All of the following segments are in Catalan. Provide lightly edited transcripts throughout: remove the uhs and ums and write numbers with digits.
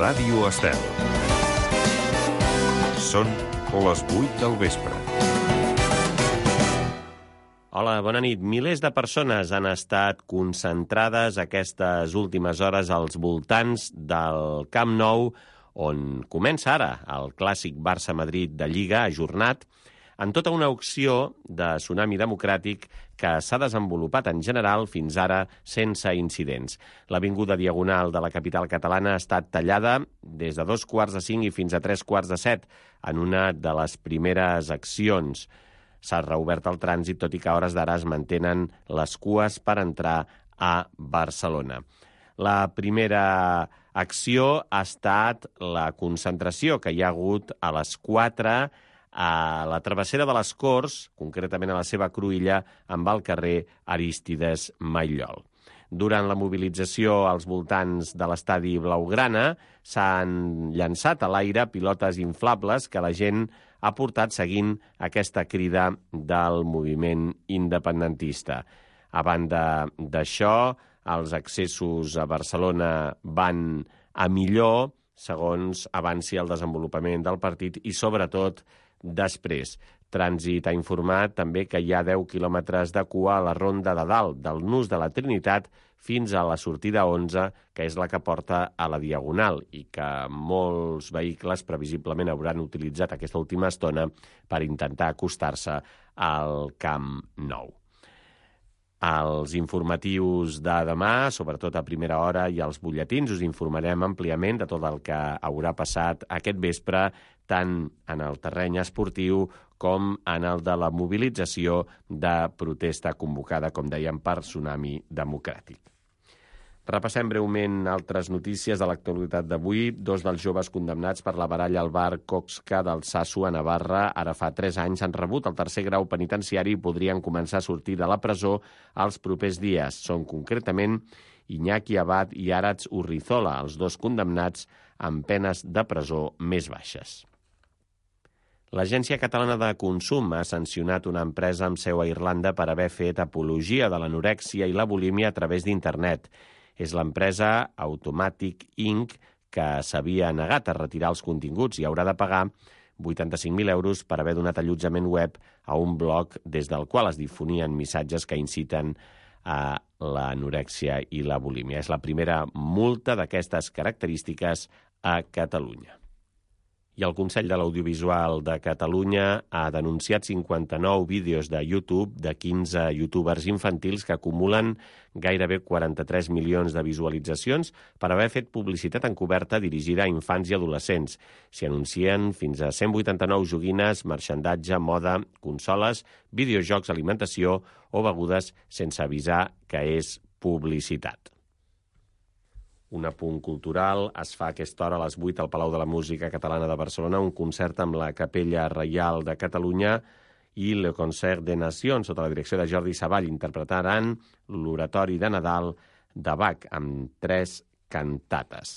Ràdio Estel. Són les 8 del vespre. Hola, bona nit. Milers de persones han estat concentrades aquestes últimes hores als voltants del Camp Nou, on comença ara el clàssic Barça-Madrid de Lliga, ajornat, en tota una acció de tsunami democràtic que s'ha desenvolupat en general fins ara sense incidents. L'avinguda Diagonal de la capital catalana ha estat tallada des de 2:45 i fins a 3:45 en una de les primeres accions. S'ha reobert el trànsit, tot i que a hores d'ara es mantenen les cues per entrar a Barcelona. La primera acció ha estat la concentració que hi ha hagut a les 4 a la travessera de les Corts, concretament a la seva cruïlla, amb el carrer Arístides Maillol. Durant la mobilització als voltants de l'estadi Blaugrana s'han llançat a l'aire pilotes inflables que la gent ha portat seguint aquesta crida del moviment independentista. A banda d'això, els accessos a Barcelona van a millor, segons avanci el desenvolupament del partit i, sobretot, després. Trànsit ha informat també que hi ha 10 quilòmetres de cua a la Ronda de Dalt, del Nus de la Trinitat fins a la sortida 11, que és la que porta a la Diagonal, i que molts vehicles previsiblement hauran utilitzat aquesta última estona per intentar acostar-se al Camp Nou. Als informatius de demà, sobretot a primera hora, i als butlletins, us informarem àmpliament de tot el que haurà passat aquest vespre, tant en el terreny esportiu com en el de la mobilització de protesta convocada, com dèiem, per Tsunami Democràtic. Repassem breument altres notícies de l'actualitat d'avui. 2 dels joves condemnats per la baralla al bar Coxca d'Altsasu a Navarra ara fa 3 anys han rebut el 3è grau penitenciari i podrien començar a sortir de la presó els propers dies. Són concretament Iñaki Abad i Aratz Urrizola, els 2 condemnats amb penes de presó més baixes. L'Agència Catalana de Consum ha sancionat una empresa amb seu a Irlanda per haver fet apologia de l'anorèxia i la bulímia a través d'internet. És l'empresa Automatic Inc., que s'havia negat a retirar els continguts i haurà de pagar 85.000 euros per haver donat allotjament web a un blog des del qual es difonien missatges que inciten a l'anorèxia i la bulímia. És la primera multa d'aquestes característiques a Catalunya. I el Consell de l'Audiovisual de Catalunya ha denunciat 59 vídeos de YouTube de 15 youtubers infantils que acumulen gairebé 43 milions de visualitzacions per haver fet publicitat encoberta dirigida a infants i adolescents. S'hi anuncien fins a 189 joguines, marxandatge, moda, consoles, videojocs, alimentació o begudes sense avisar que és publicitat. Un apunt cultural. Es fa a aquesta hora a les 8 al Palau de la Música Catalana de Barcelona un concert amb la Capella Reial de Catalunya i Le Concert des Nations, sota la direcció de Jordi Savall. Interpretaran l'oratori de Nadal de Bach amb 3 cantates.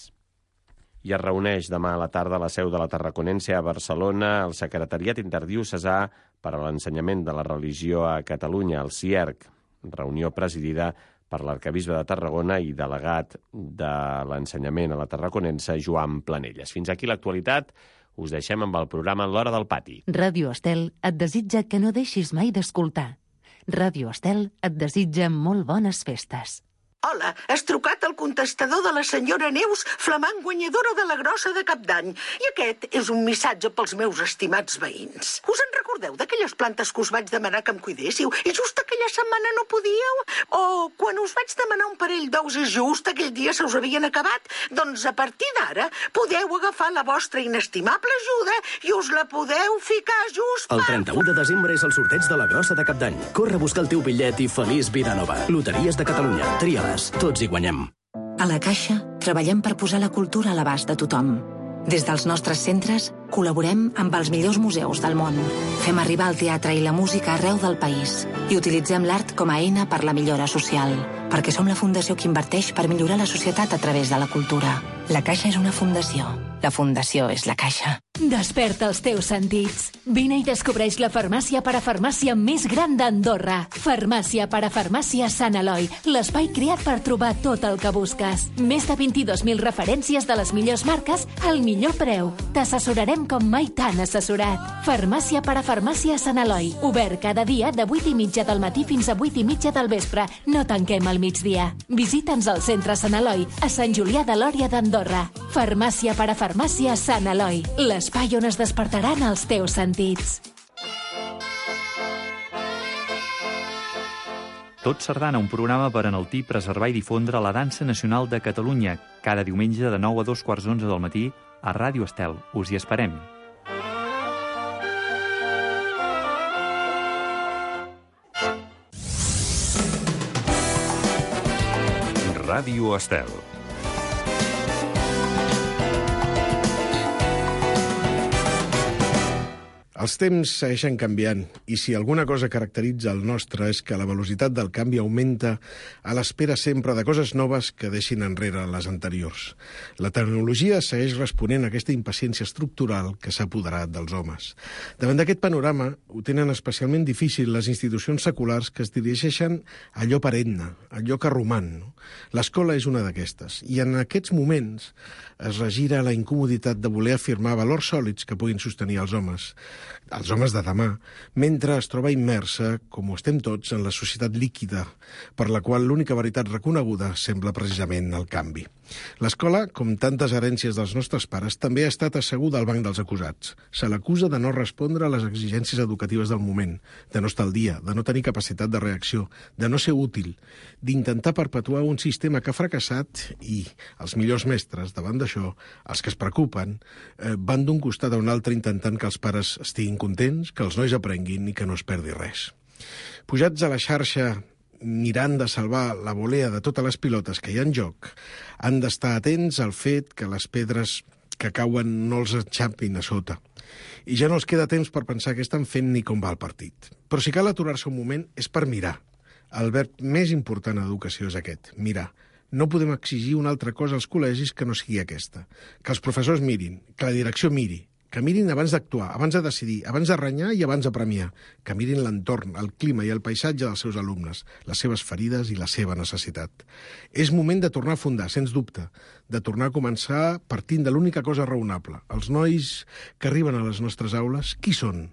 I es reuneix demà a la tarda a la seu de la Tarraconense a Barcelona el Secretariat Interdiocesà per a l'Ensenyament de la Religió a Catalunya, el CIERC, reunió presidida per l'arquebisbe de Tarragona i delegat de l'ensenyament a la Tarraconense, Joan Planelles. Fins aquí l'actualitat. Us deixem amb el programa L'Hora del Pati. Ràdio Estel et desitja que no deixis mai d'escoltar. Ràdio Estel et desitja molt bones festes. Hola, has trucat al contestador de la senyora Neus, flamant guanyadora de la grossa de Cap d'Any. I aquest és un missatge pels meus estimats veïns. Us en recordeu d'aquelles plantes que us vaig demanar que em cuidéssiu i just aquella setmana no podíeu? O quan us vaig demanar un parell d'ous i just aquell dia se us havien acabat? Doncs a partir d'ara podeu agafar la vostra inestimable ajuda i us la podeu ficar just El 31 de desembre és el sorteig de la grossa de Cap d'Any. Corre a buscar el teu bitllet i feliç vida nova. Loteries de Catalunya. Tria-les. Tots hi guanyem. A la Caixa treballem per posar la cultura a l'abast de tothom. Des dels nostres centres col·laborem amb els millors museus del món. Fem arribar el teatre i la música arreu del país i utilitzem l'art com a eina per la millora social, perquè som la fundació que inverteix per millorar la societat a través de la cultura. La Caixa és una fundació. La fundació és la Caixa. Desperta els teus sentits. Vine i descobreix la farmàcia parafarmàcia més gran d'Andorra. Farmàcia parafarmàcia Sant Eloi, l'espai creat per trobar tot el que busques. Més de 22.000 referències de les millors marques al millor preu. T'assessorarem com mai t'han assessorat. Farmàcia parafarmàcia Sant Eloi, obert cada dia de 8:30 del matí fins a 8:30 del vespre. No tanquem al migdia. Visita'ns al centre Sant Eloi, a Sant Julià de Lòria d'Andorra. Farmàcia parafarmàcia Sant Eloi, l'espai on es despertaran els teus sentits. Tot Sardana, un programa per enaltir, preservar i difondre la dansa nacional de Catalunya, cada diumenge de 9 a 2:15 del matí a Ràdio Estel. Us hi esperem. Ràdio Estel. Els temps segueixen canviant i si alguna cosa caracteritza el nostre és que la velocitat del canvi augmenta a l'espera sempre de coses noves que deixin enrere les anteriors. La tecnologia segueix responent a aquesta impaciència estructural que s'ha apoderat dels homes. Davant d'aquest panorama ho tenen especialment difícil les institucions seculars que es dirigeixen a allò perenne, a allò que roman. L'escola és una d'aquestes i en aquests moments es regira la incomoditat de voler afirmar valors sòlids que puguin sostenir els homes de demà, mentre es troba immersa, com ho estem tots, en la societat líquida, per la qual l'única veritat reconeguda sembla precisament el canvi. L'escola, com tantes herències dels nostres pares, també ha estat asseguda al banc dels acusats. Se l'acusa de no respondre a les exigències educatives del moment, de no estar al dia, de no tenir capacitat de reacció, de no ser útil, d'intentar perpetuar un sistema que ha fracassat i els millors mestres, davant d'això, els que es preocupen, van d'un costat a un altre intentant que els pares estiguin contents, que els nois aprenguin i que no es perdi res. Pujats a la xarxa, mirant de salvar la volea de totes les pilotes que hi ha en joc, han d'estar atents al fet que les pedres que cauen no els enxampin a sota. I ja no els queda temps per pensar què estan fent ni com va el partit. Però si cal aturar-se un moment és per mirar. El verb més important a l'educació és aquest, mirar. No podem exigir una altra cosa als col·legis que no sigui aquesta. Que els professors mirin, que la direcció miri, que mirin abans d'actuar, abans de decidir, abans de renyar i abans de premiar, que mirin l'entorn, el clima i el paisatge dels seus alumnes, les seves ferides i la seva necessitat. És moment de tornar a fundar, sens dubte, de tornar a començar partint de l'única cosa raonable. Els nois que arriben a les nostres aules, qui són?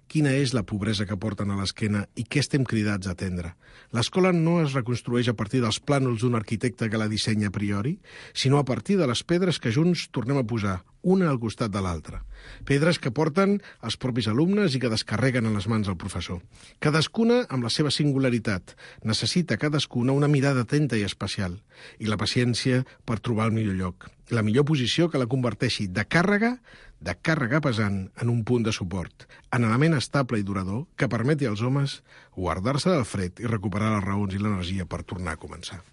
Quina és la pobresa que porten a l'esquena i què estem cridats a atendre? L'escola no es reconstrueix a partir dels plànols d'un arquitecte que la dissenya a priori, sinó a partir de les pedres que junts tornem a posar, una al costat de l'altra. Pedres que porten els propis alumnes i que descarreguen en les mans del professor. Cadascuna amb la seva singularitat. Necessita cadascuna una mirada atenta i especial. I la paciència per trobar el millor lloc. La millor posició que la converteixi de càrrega pesant en un punt de suport, en element estable i durador que permeti als homes guardar-se del fred i recuperar les raons i l'energia per tornar a començar.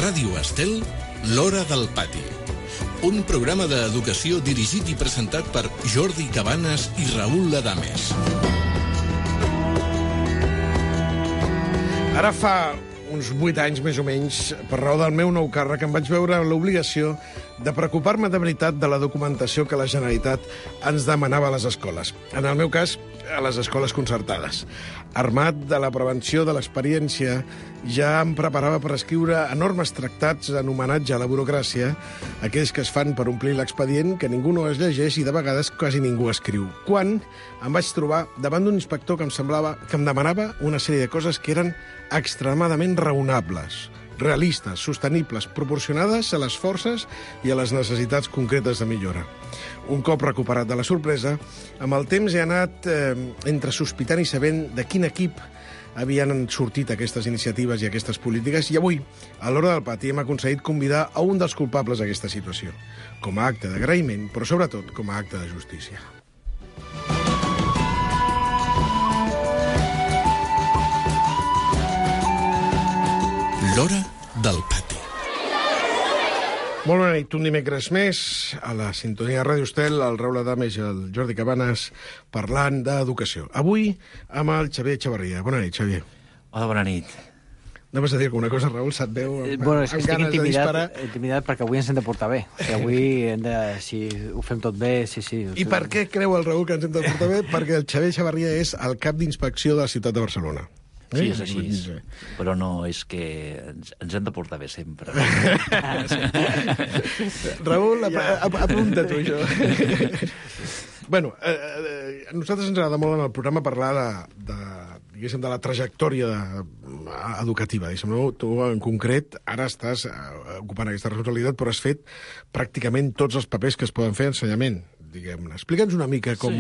Ràdio Estel, l'Hora del Pati. Un programa d'educació dirigit i presentat per Jordi Cabanes i Raül Ladames. Ara fa uns 8 anys, més o menys, per raó del meu nou càrrec, em vaig veure l'obligació de preocupar-me de veritat de la documentació que la Generalitat ens demanava a les escoles. En el meu cas, a les escoles concertades. Armat de la prevenció de l'experiència, ja em preparava per escriure enormes tractats en homenatge a la burocràcia, aquells que es fan per omplir l'expedient, que ningú no es llegeix i de vegades quasi ningú escriu. Quan em vaig trobar davant d'un inspector que em demanava una sèrie de coses que eren extremadament raonables, realistes, sostenibles, proporcionades a les forces i a les necessitats concretes de millora. Un cop recuperat de la sorpresa, amb el temps he anat entre sospitant i sabent de quin equip havien sortit aquestes iniciatives i aquestes polítiques, i avui, a l'Hora del Pati, hem aconseguit convidar a un dels culpables d'aquesta situació, com a acte d'agraïment, però sobretot com a acte de justícia. L'Hora del Pati. Molt bona nit, un dimecres més, a la sintonia de Ràdio Estel, el Raül Adames i el Jordi Cabanes parlant d'educació. Avui amb el Xavier Echevarria. Bona nit, Xavier. Hola, bona nit. Anaves a dir alguna cosa, Raül? Se't veu amb estic ganes de disparar? intimidat perquè avui ens hem de portar bé. O sigui, avui hem de, si ho fem tot bé, sí. I per què creu el Raül que ens hem de portar bé? Perquè el Xavier Echevarria és el cap d'inspecció de la ciutat de Barcelona. Sí, és així, però no és que ens hem de portar bé sempre. Raül, apunta tu, això. Bueno, a nosaltres ens agrada molt en el programa parlar de la trajectòria educativa. Tu, en concret, ara estàs ocupant aquesta responsabilitat, però has fet pràcticament tots els papers que es poden fer a ensenyament, diguem-ne. Explica'ns una mica com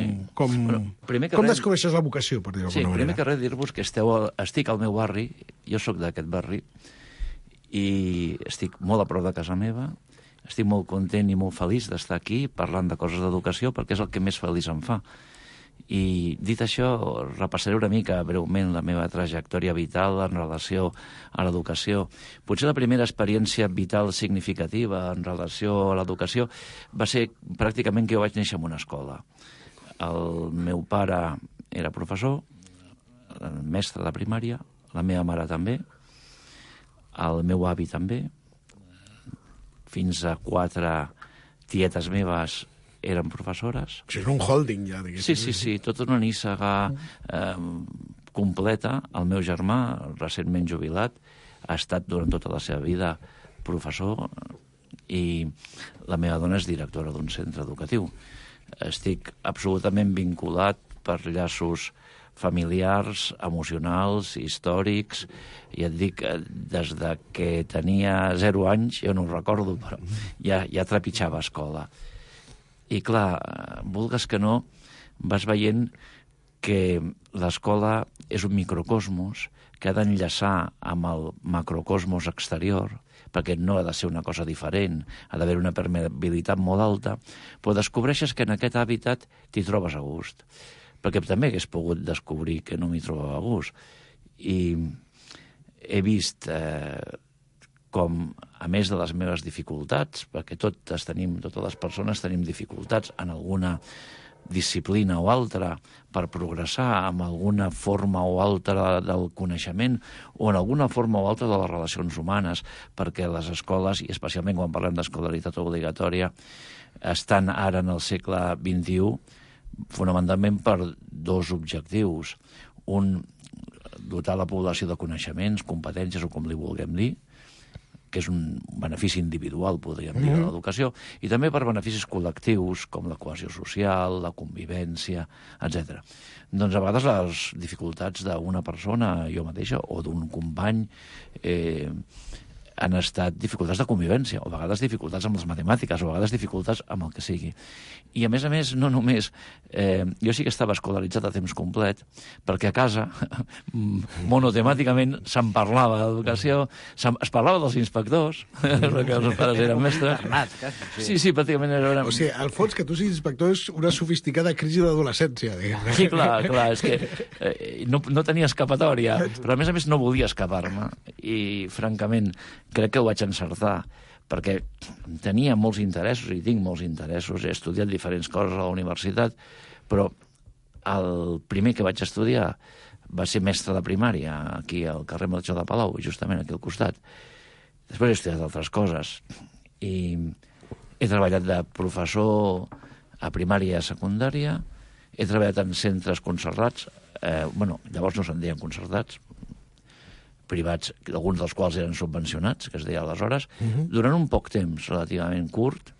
descobreixes la vocació, per dir-ho d'alguna manera. Sí, primer que res dir-vos que estic al meu barri, jo sóc d'aquest barri, i estic molt a prop de casa meva, estic molt content i molt feliç d'estar aquí parlant de coses d'educació perquè és el que més feliç em fa. I dit això, repassaré una mica breument la meva trajectòria vital en relació a l'educació. Potser la primera experiència vital significativa en relació a l'educació va ser pràcticament que jo vaig néixer en una escola. El meu pare era professor, mestre de primària, la meva mare també, el meu avi també, fins a 4 tietes meves eren professores. O sigui, és un holding, ja, diguéssim. Sí, tota una nissaga completa. El meu germà, recentment jubilat, ha estat durant tota la seva vida professor i la meva dona és directora d'un centre educatiu. Estic absolutament vinculat per llaços familiars, emocionals, històrics, i et dic, des de que tenia 0 anys, jo no ho recordo, però ja trepitjava escola. I clar, vulgues que no, vas veient que l'escola és un microcosmos que ha d'enllaçar amb el macrocosmos exterior, perquè no ha de ser una cosa diferent, ha d'haver una permeabilitat molt alta, però descobreixes que en aquest hàbitat t'hi trobes a gust. Perquè també hagués pogut descobrir que no m'hi trobava a gust. I he vist com, a més de les meves dificultats, perquè totes les persones tenim dificultats en alguna disciplina o altra per progressar amb alguna forma o altra del coneixement o en alguna forma o altra de les relacions humanes, perquè les escoles, i especialment quan parlem d'escolaritat obligatòria, estan ara en el segle XXI fonamentalment per 2 objectius. Un, dotar la població de coneixements, competències o com li vulguem dir, que és un benefici individual, podríem dir, de l'educació, i també per beneficis col·lectius, com la cohesió social, la convivència, etc. Doncs a vegades les dificultats d'una persona, jo mateixa, o d'un company, han estat dificultats de convivència, o a vegades dificultats amb les matemàtiques, o a vegades dificultats amb el que sigui. I a més, no només... jo sí que estava escolaritzat a temps complet, perquè a casa, monotemàticament, se'n parlava d'educació, es parlava dels inspectors, perquè els pares eren mestres. Sí, pràcticament era... O sigui, al fons, que tu siguis inspector és una sofisticada crisi d'adolescència, diguem-ne. Sí, clar, és que no tenia escapatòria, però a més no volia escapar-me, i francament crec que ho vaig encertar, perquè tenia molts interessos, i tinc molts interessos, he estudiat diferents coses a la universitat, però el primer que vaig estudiar va ser mestre de primària, aquí al carrer Melchor de Palau, justament aquí al costat. Després he estudiat altres coses, i he treballat de professor a primària i a secundària, he treballat en centres concertats, llavors no se'n deien concertats, privats, alguns dels quals eren subvencionats, que es deia aleshores, durant un poc temps relativament curt.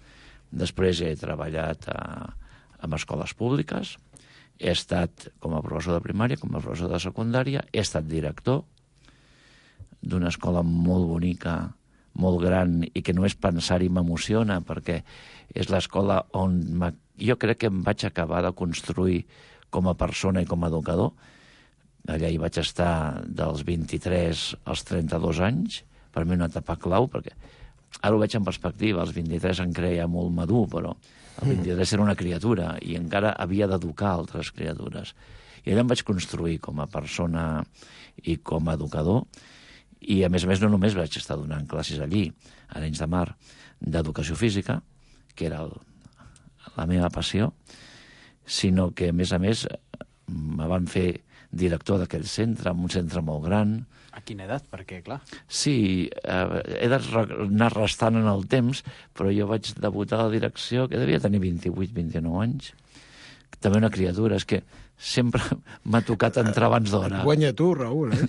Després he treballat en escoles públiques, he estat com a professor de primària, com a professor de secundària, he estat director d'una escola molt bonica, molt gran, i que només pensar-hi m'emociona, perquè és l'escola on jo crec que em vaig acabar de construir com a persona i com a educador. Allà hi vaig estar dels 23 als 32 anys, per mi una etapa clau, perquè ara ho veig en perspectiva, als 23 em creia molt madur, però al 23 era una criatura i encara havia d'educar altres criatures. I allà em vaig construir com a persona i com a educador, I, a més, no només vaig estar donant classes allí, a Arenys de Mar, d'educació física, que era la meva passió, sinó que, a més, me van fer director d'aquell centre, en un centre molt gran. A quina edat? Perquè, clar... Sí, he d'anar restant en el temps, però jo vaig debutar a la direcció, que devia tenir 28-29 anys. També una criatura, és que sempre m'ha tocat entrar abans d'hora. Guanya tu, Raül, eh?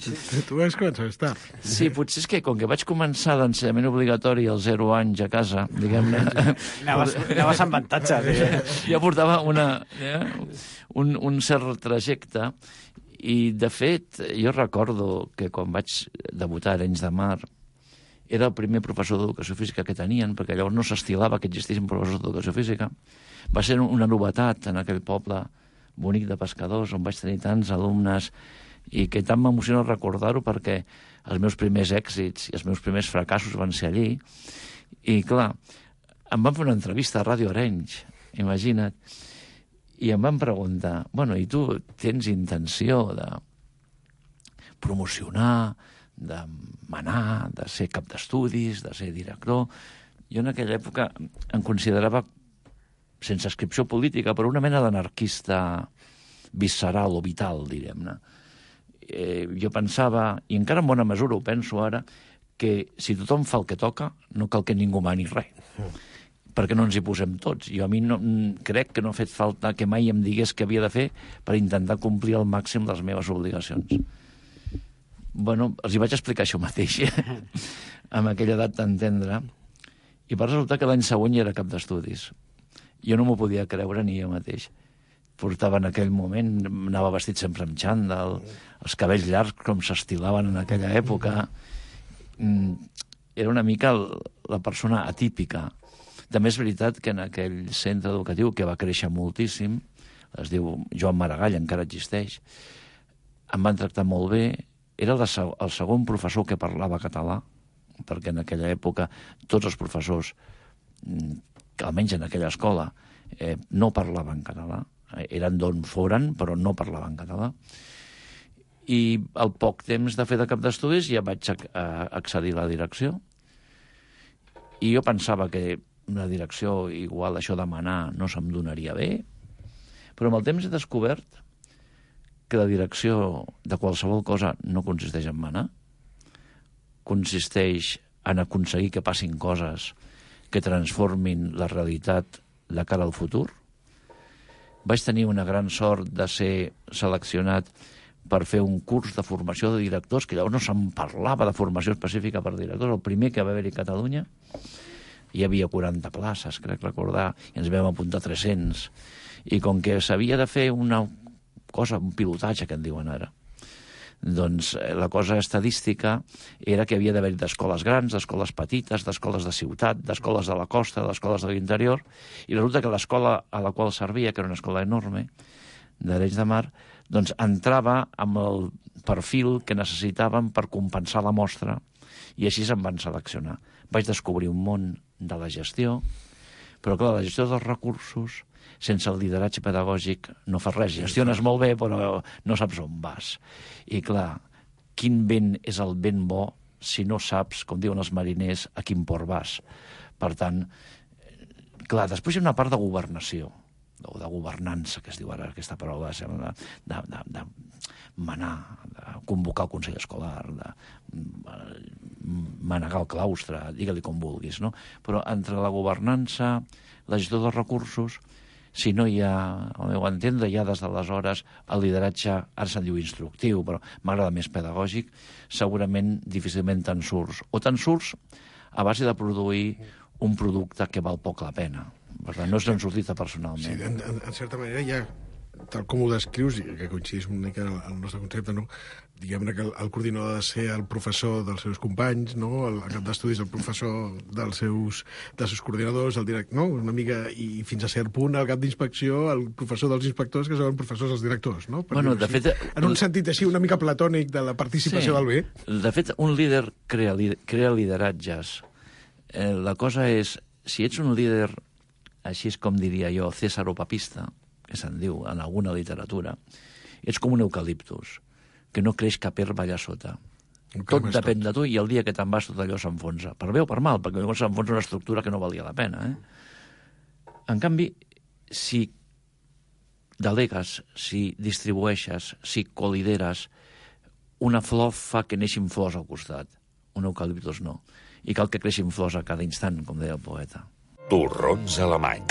Tu has començat tard. Sí, potser és que com que vaig començar l'ensenyament obligatori als 0 anys a casa, diguem-ne... Anaves amb avantatge. Ja portava un cert trajecte. I, de fet, jo recordo que quan vaig debutar a Arenys de Mar era el primer professor d'educació física que tenien, perquè llavors no s'estilava que existissin professors d'educació física. Va ser una novetat en aquell poble bonic de pescadors, on vaig tenir tants alumnes, i que tant m'emociona recordar-ho perquè els meus primers èxits i els meus primers fracassos van ser allí. I, clar, em van fer una entrevista a Ràdio Arenys, imagina't, i em van preguntar, bueno, i tu tens intenció de promocionar, de manar, de ser cap d'estudis, de ser director? Jo en aquella època em considerava, sense inscripció política, però una mena d'anarquista visceral o vital, direm-ne. Jo pensava, i encara en bona mesura ho penso ara, que si tothom fa el que toca, no cal que ningú mani res. Perquè no ens hi posem tots. Jo a mi crec que no ha fet falta que mai em digués què havia de fer per intentar complir al màxim les meves obligacions. Bueno, els hi vaig explicar això mateix, amb aquella edat tan tendra, i va resultar que l'any següent ja era cap d'estudis. Jo no m'ho podia creure ni jo mateix. Portava en aquell moment, anava vestit sempre amb xandall, els cabells llargs com s'estilaven en aquella època. Era una mica la persona atípica. També és veritat que en aquell centre educatiu, que va créixer moltíssim, es diu Joan Maragall, encara existeix, em van tractar molt bé. Era el segon professor que parlava català, perquè en aquella època tots els professors, que almenys en aquella escola, no parlaven català. Eren d'on foren, però no parlaven català. I al poc temps de fer de cap d'estudis ja vaig accedir a la direcció. I jo pensava que la direcció, igual això de manar, no se'm donaria bé, però amb el temps he descobert que la direcció de qualsevol cosa no consisteix en manar, consisteix en aconseguir que passin coses que transformin la realitat de cara al futur. Vaig tenir una gran sort de ser seleccionat per fer un curs de formació de directors, que llavors no se'n parlava de formació específica per directors, el primer que va haver-hi a Catalunya. Hi havia 40 places, crec recordar, i ens vam apuntar 300. I com que s'havia de fer una cosa, un pilotatge, que en diuen ara, doncs la cosa estadística era que havia d'haver d'escoles grans, d'escoles petites, d'escoles de ciutat, d'escoles de la costa, d'escoles de l'interior, i resulta que l'escola a la qual servia, que era una escola enorme, d'Arenys de Mar, doncs entrava amb el perfil que necessitaven per compensar la mostra, i així se'n van seleccionar. Vaig descobrir un món de la gestió, però clar, la gestió dels recursos, sense el lideratge pedagògic, no fas res. Gestiones molt bé, però no saps on vas. I clar, quin vent és el vent bo si no saps, com diuen els mariners, a quin port vas? Per tant, clar, després hi ha una part de governació, o de governança, que es diu ara aquesta paraula, de manar, de convocar el Consell Escolar, de manegar el claustre, digue-li com vulguis, no? Però entre la governança, la gestió dels recursos, si no hi ha, al meu entendre, ja des d'aleshores el lideratge, ara se'n diu instructiu, però m'agrada més pedagògic, segurament difícilment te'n surts. O te'n surts a base de produir un producte que val poc la pena. Per tant, no és sortit personalment. Sí, en certa manera ja, tal com ho descrius, i que coincidís una mica el nostre concepte, no? Diguem-ne que el coordinador ha de ser el professor dels seus companys, no? El cap d'estudis el professor dels seus coordinadors, el director, no? Una mica, i fins a cert punt el cap d'inspecció, el professor dels inspectors, que són professors dels directors, no? Bueno, de fet, en un sentit així una mica platònic de la participació del bé. De fet, un líder crea lideratges. La cosa és, si ets un líder, així és com diria jo, cesaro-papista, que se'n diu en alguna literatura, ets com un eucaliptus, que no creix cap herba allà sota. Tot depèn de tu, i el dia que te'n vas tot allò s'enfonsa. Per bé o per mal, perquè llavors s'enfonsa una estructura que no valia la pena. En canvi, si delegues, si distribueixes, si colideres, una flor fa que neixin flors al costat. Un eucaliptus no. I cal que creixin flors a cada instant, com deia el poeta. Torrons alemany,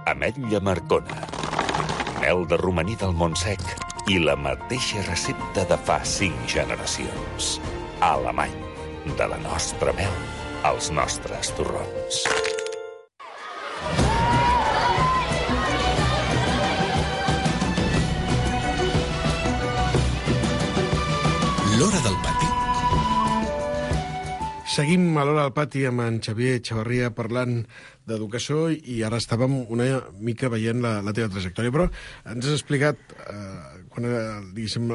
ametlla marcona, mel de romaní del Montsec i la mateixa recepta de fa 5 generacions. Alemany, de la nostra mel als nostres torrons. L'Hora del Pati. Seguim a l'Hora del Pati amb en Xavier Chavarria parlant d'educació i ara estàvem una mica veient la teva trajectòria, però ens has explicat quan era, diguéssim,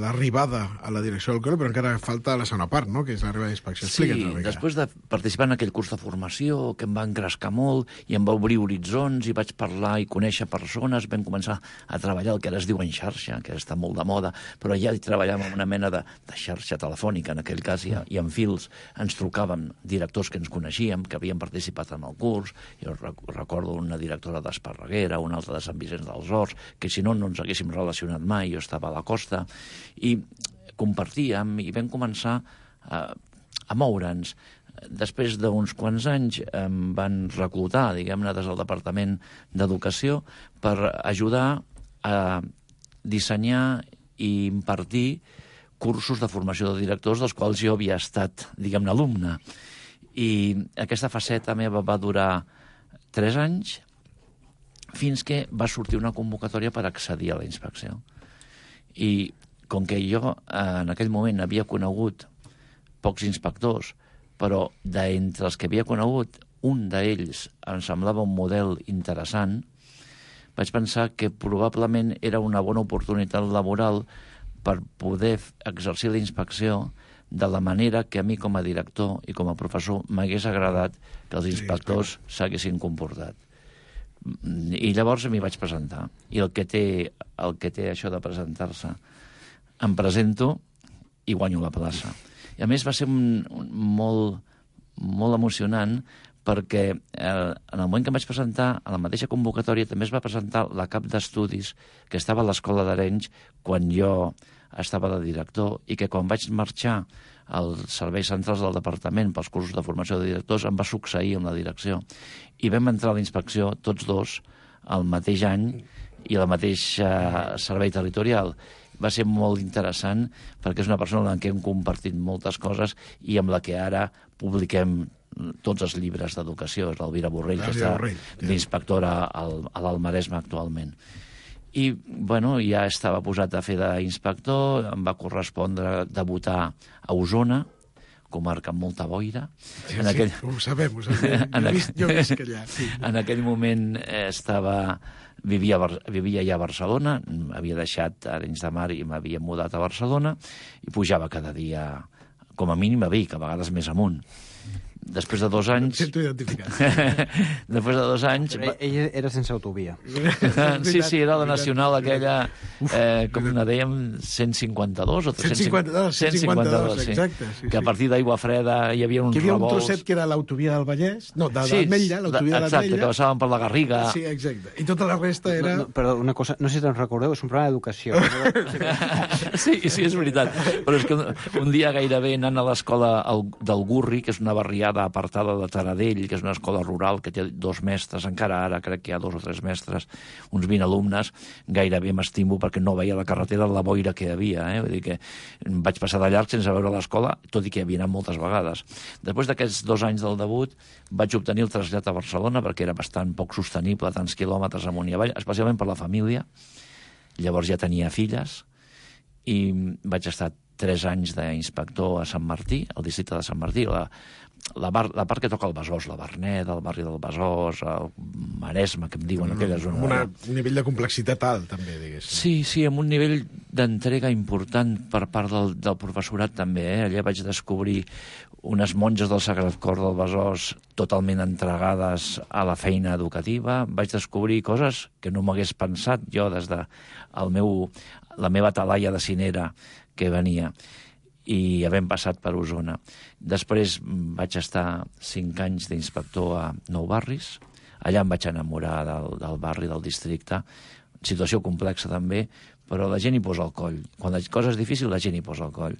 l'arribada a la direcció del col·le, però encara falta la segona part, no?, que és l'arribada d'inspecció. Sí, després de participar en aquell curs de formació, que em va engrescar molt i em va obrir horitzons i vaig parlar i conèixer persones, vam començar a treballar el que ara es diu en xarxa, que està molt de moda, però ja hi treballàvem amb una mena de xarxa telefònica, en aquell cas, i en fils ens trucàvem directors que ens coneixíem, que havien participat en el curs. Jo recordo una directora d'Esparreguera, una altra de Sant Vicenç dels Horts, que si no, no ens haguéssim relacionat mai, jo estava a la costa, i compartíem i vam començar a moure'ns. Després d'uns quants anys em van reclutar, diguem-ne, des del Departament d'Educació per ajudar a dissenyar i impartir cursos de formació de directors dels quals jo havia estat, diguem-ne, alumne. I aquesta faceta meva va durar 3 anys fins que va sortir una convocatòria per accedir a la inspecció. I com que jo en aquell moment havia conegut pocs inspectors, però d'entre els que havia conegut, un d'ells em semblava un model interessant, vaig pensar que probablement era una bona oportunitat laboral per poder exercir la inspecció de la manera que a mi com a director i com a professor m'hagués agradat que els inspectors s'haguessin comportat. I llavors m'hi vaig presentar. I el que té això de presentar-se, em presento i guanyo la plaça. I a més va ser molt emocionant perquè en el moment que em vaig presentar, a la mateixa convocatòria també es va presentar la cap d'estudis que estava a l'Escola d'Arenys quan jo estava de director i que quan vaig marxar als serveis centrals del departament pels cursos de formació de directors em va succeir en la direcció. I vam entrar a la inspecció tots dos el mateix any i el mateix servei territorial. Va ser molt interessant perquè és una persona amb qui hem compartit moltes coses i amb la que ara publiquem tots els llibres d'educació. És l'Elvira Borrell, que està d'inspectora a l'Alt Maresme actualment. I, bueno, ja estava posat a fer d'inspector, em va correspondre debutar a Osona, comarca amb molta boira. Sí, ho sabem. Jo visc allà. En aquell moment vivia ja a Barcelona, havia deixat Arenys de Mar i m'havia mudat a Barcelona i pujava cada dia, com a mínim a Vic, a vegades més amunt. Després de 2 anys... Sento identificat. Després de 2 anys... Però ella era sense autovia. Sí, era la nacional aquella, com la dèiem, 152 o 352. 152, sí. Exacte. Sí, que a partir d'Aigua Freda hi havia uns revolts... Hi havia un trosset que era l'autovia del Vallès, no, de l'Ametlla, l'autovia de l'Ametlla. Exacte, que passaven per la Garriga. Sí, exacte. I tota la resta era... Però una cosa, no sé si te'n recordeu, és un programa d'educació. Sí, és veritat. Però és que un dia gairebé anant a l'escola del Gurri, que és una barriada apartada de Taradell, que és una escola rural que té 2 mestres, encara ara crec que hi ha 2 o 3 mestres, uns 20 alumnes, gairebé m'estimo perquè no veia la carretera de la boira que hi havia. Vull dir que vaig passar de llarg sense veure l'escola, tot i que hi havia anat moltes vegades. Després d'aquests 2 anys del debut vaig obtenir el trasllat a Barcelona perquè era bastant poc sostenible, tants quilòmetres amunt i avall, especialment per la família. Llavors ja tenia filles i vaig estar 3 anys d'inspector a Sant Martí, al districte de Sant Martí, la part que toca el Besòs, la Verneda, el barri del Besòs, el Maresme, que em diuen aquella zona. Amb un nivell de complexitat alt, també, diguéssim. Sí, amb un nivell d'entrega important per part del professorat, també. Allà vaig descobrir unes monges del Sagrat Cor del Besòs totalment entregades a la feina educativa. Vaig descobrir coses que no m'hagués pensat jo des de la meva talaia de cinera que venia. i havent passat per Osona. Després vaig estar 5 anys d'inspector a Nou Barris. Allà em vaig enamorar del barri, del districte. Situació complexa també, però la gent hi posa el coll. Quan la cosa és difícil, la gent hi posa el coll.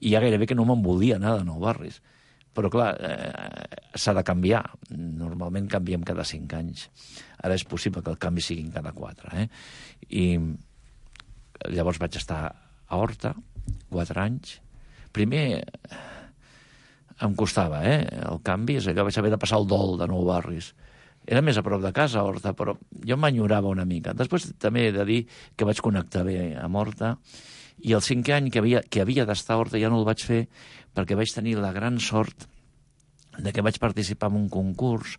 I ja gairebé que no me'n volia anar de Nou Barris. Però, clar, s'ha de canviar. Normalment canviem cada 5 anys. Ara és possible que el canvi sigui cada 4. I llavors vaig estar a Horta, 4 anys. Primer em costava, el canvi. És allò, vaig haver de passar el dol de Nou Barris. Era més a prop de casa, Horta, però jo m'enyorava una mica. Després també he de dir que vaig connectar bé amb Horta, i el 5è any que havia d'estar a Horta ja no el vaig fer perquè vaig tenir la gran sort de que vaig participar en un concurs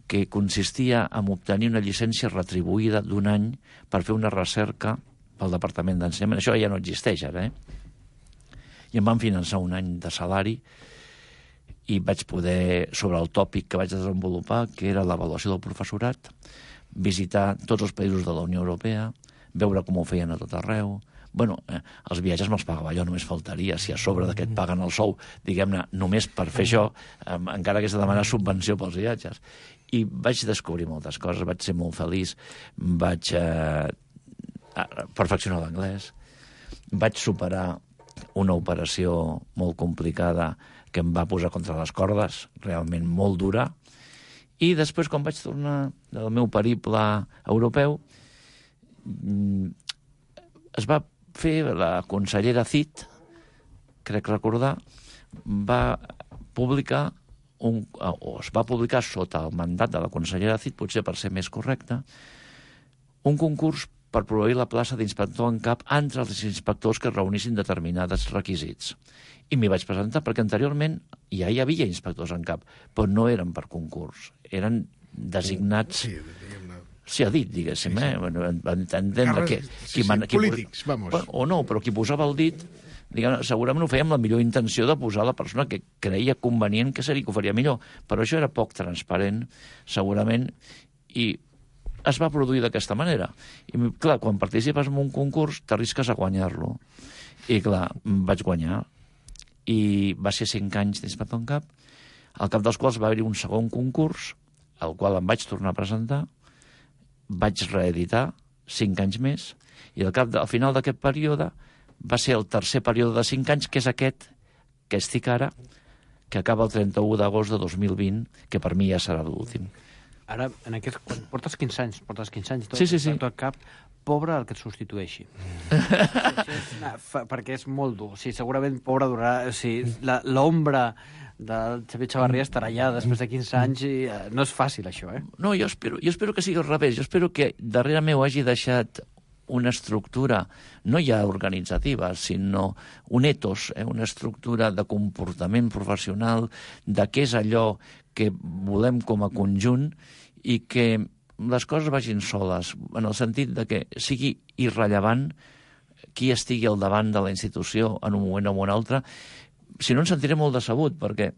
que consistia en obtenir una llicència retribuïda d'1 any per fer una recerca pel Departament d'Ensenyament. Això ja no existeix ara, I em van finançar 1 any de salari i vaig poder, sobre el tòpic que vaig desenvolupar, que era l'avaluació del professorat, visitar tots els països de la Unió Europea, veure com ho feien a tot arreu. Bueno, els viatges me'ls pagava jo, només faltaria. Si a sobre d'aquest paguen el sou, diguem-ne, només per fer això, encara que és de demanar subvenció pels viatges. I vaig descobrir moltes coses, vaig ser molt feliç, vaig perfeccionar l'anglès, vaig superar una operació molt complicada que em va posar contra les cordes, realment molt dura, i després, quan vaig tornar del meu periple europeu, es va fer la consellera Cid, crec recordar, va publicar, es va publicar sota el mandat de la consellera Cid, potser per ser més correcte, un concurs per proveir la plaça d'inspector en cap entre els inspectors que reunissin determinats requisits. I m'hi vaig presentar perquè anteriorment ja hi havia inspectors en cap, però no eren per concurs, eren designats... Sí, ha dit, diguéssim, va entendre que... Polítics, vamos. O no, però qui posava el dit, segurament ho feia amb la millor intenció de posar la persona que creia convenient que seria que ho faria millor, però això era poc transparent, segurament, i es va produir d'aquesta manera. I, clar, quan participes en un concurs, t'arrisques a guanyar-lo. I, clar, vaig guanyar. I va ser 5 anys d'inspector en cap, al cap dels quals va haver-hi un segon concurs, al qual em vaig tornar a presentar, vaig reeditar 5 anys més, i al final d'aquest període va ser el tercer període de 5 anys, que és aquest que estic ara, que acaba el 31 d'agost de 2020, que per mi ja serà l'últim. Ara, portes 15 anys, i tot, sí. tot cap, pobre el que et substitueixi. Perquè és molt dur. Sí, segurament pobre durarà... L'ombra del Xavier Chavarria estarà allà després de 15 anys i no és fàcil, això, No, jo espero que sigui al revés. Jo espero que darrere meu hagi deixat una estructura, no ja organitzativa, sinó un etos, una estructura de comportament professional, de què és allò que volem com a conjunt i que les coses vagin soles, en el sentit de que sigui irrellevant qui estigui al davant de la institució en un moment o en un altre. Si no, em sentiré molt decebut, perquè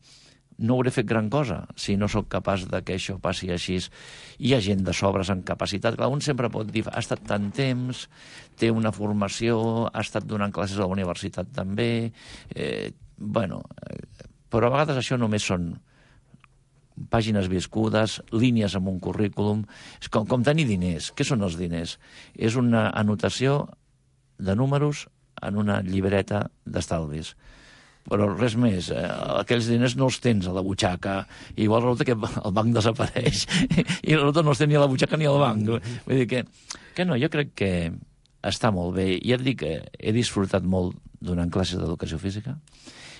no hauré fet gran cosa si no sóc capaç de que això passi així. Hi ha gent de sobres en capacitat. Clar, un sempre pot dir, ha estat tant temps, té una formació, ha estat donant classes a la universitat també... Però a vegades això només són pàgines viscudes, línies en un currículum. És com tenir diners. Què són els diners? És una anotació de números en una llibreta d'estalvis. Però res més, aquells diners no els tens a la butxaca, i igual resulta que el banc desapareix, i resulta no els tens ni a la butxaca ni al banc. Vull dir que no, jo crec que està molt bé. I ja et dic que he disfrutat molt donant classes d'educació física,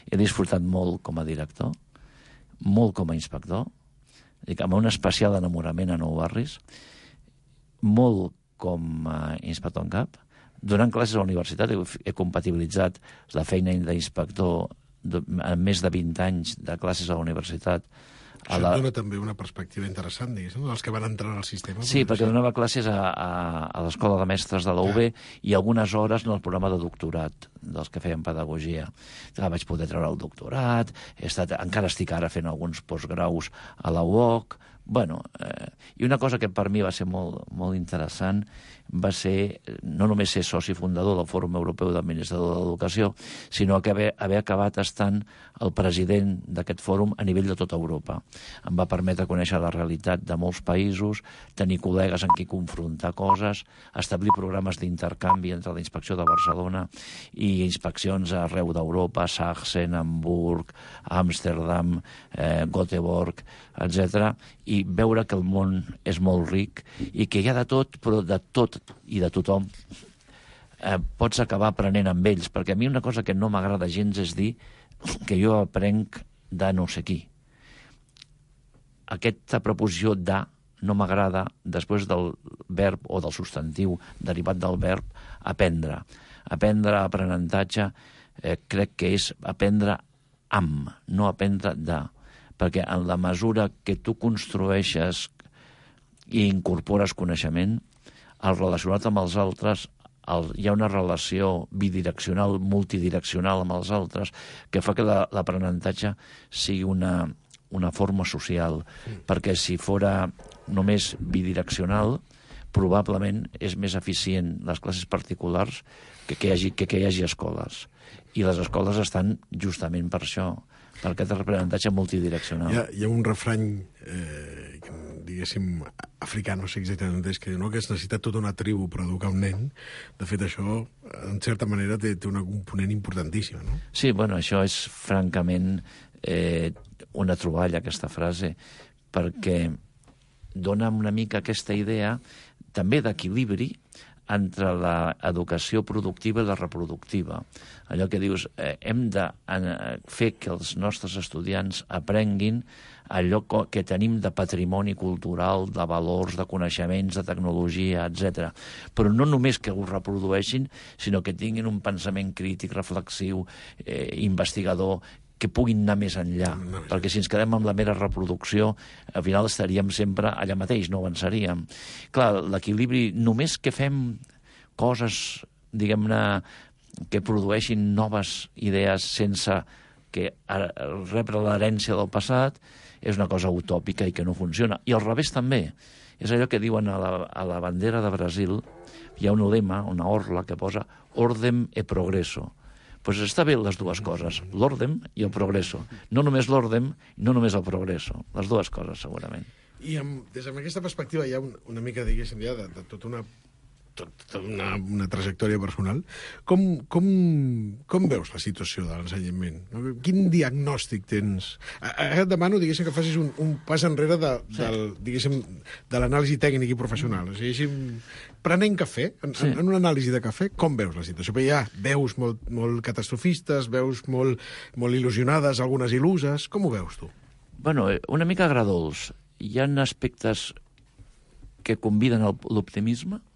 he disfrutat molt com a director, molt com a inspector, amb un especial enamorament a Nou Barris, molt com a inspector en cap. Donant classes a la universitat he compatibilitzat la feina d'inspector amb més de 20 anys de classes a la universitat. Això et dona també una perspectiva interessant, diguéssim, dels que van entrar al sistema. Sí, perquè donava classes a l'Escola de Mestres de la UB i algunes hores en el programa de doctorat dels que feien pedagogia. Vaig poder treure el doctorat, encara estic ara fent alguns postgraus a la UOC, Bueno, i una cosa que per mi va ser molt interessant va ser no només ser soci fundador del Fòrum Europeu d'Administrador de l'Educació, sinó que haver acabat estant el president d'aquest fòrum a nivell de tota Europa. Em va permetre conèixer la realitat de molts països, tenir col·legues amb qui confrontar coses, establir programes d'intercanvi entre la Inspecció de Barcelona i inspeccions arreu d'Europa, Sachsen, Hamburg, Amsterdam, Göteborg, etc. I veure que el món és molt ric i que hi ha de tot, però de tot i de tothom pots acabar aprenent amb ells, perquè a mi una cosa que no m'agrada gens és dir que jo aprenc de no sé qui. Aquesta preposició de no m'agrada després del verb o del substantiu derivat del verb aprendre. Aprendre, aprenentatge, crec que és aprendre amb, no aprendre de, perquè en la mesura que tu construeixes i incorpores coneixement, al relacionat amb els altres hi ha una relació bidireccional, multidireccional amb els altres, que fa que l'aprenentatge sigui una forma social, perquè si fora només bidireccional, probablement és més eficient les classes particulars que hi hagi escoles. I les escoles estan justament per això, per aquest aprenentatge multidireccional. Hi ha un refrany, diguéssim, africà, no sé exactament on és, que diu que es necessita tota una tribu per educar un nen. De fet, això, en certa manera, té un component importantíssim, no? Sí, bueno, això és francament una troballa, aquesta frase, perquè dona una mica aquesta idea també d'equilibri entre l'educació productiva i la reproductiva. Allò que dius, hem de fer que els nostres estudiants aprenguin allò que tenim de patrimoni cultural, de valors, de coneixements, de tecnologia, etc. Però no només que ho reprodueixin, sinó que tinguin un pensament crític, reflexiu, investigador, que puguin anar més enllà, perquè si ens quedem amb la mera reproducció, al final estaríem sempre allà mateix, no avançaríem. Clar, l'equilibri, només que fem coses, diguem-ne, que produeixin noves idees sense que rebre l'herència del passat, és una cosa utòpica i que no funciona. I al revés també. És allò que diuen a la bandera de Brasil, hi ha un lema, una orla, que posa «Ordem e progresso». Doncs està bé les dues coses, l'ordem i el progresso. No només l'ordem, no només el progresso. Les dues coses, segurament. I des d'aquesta perspectiva hi ha una mica, diguéssim, ja de tota una trajectòria personal. Com veus la situació de l'ensenyament? Quin diagnòstic tens? Ara et demano, diguéssim, que facis un pas enrere de l'anàlisi tècnic i professional. O sigui, prenent cafè, en una anàlisi de cafè, com veus la situació? Perquè ja veus molt catastrofistes, veus molt il·lusionades, algunes il·luses. Com ho veus, tu? Bueno, una mica agradols. Hi ha aspectes que conviden a l'optimisme.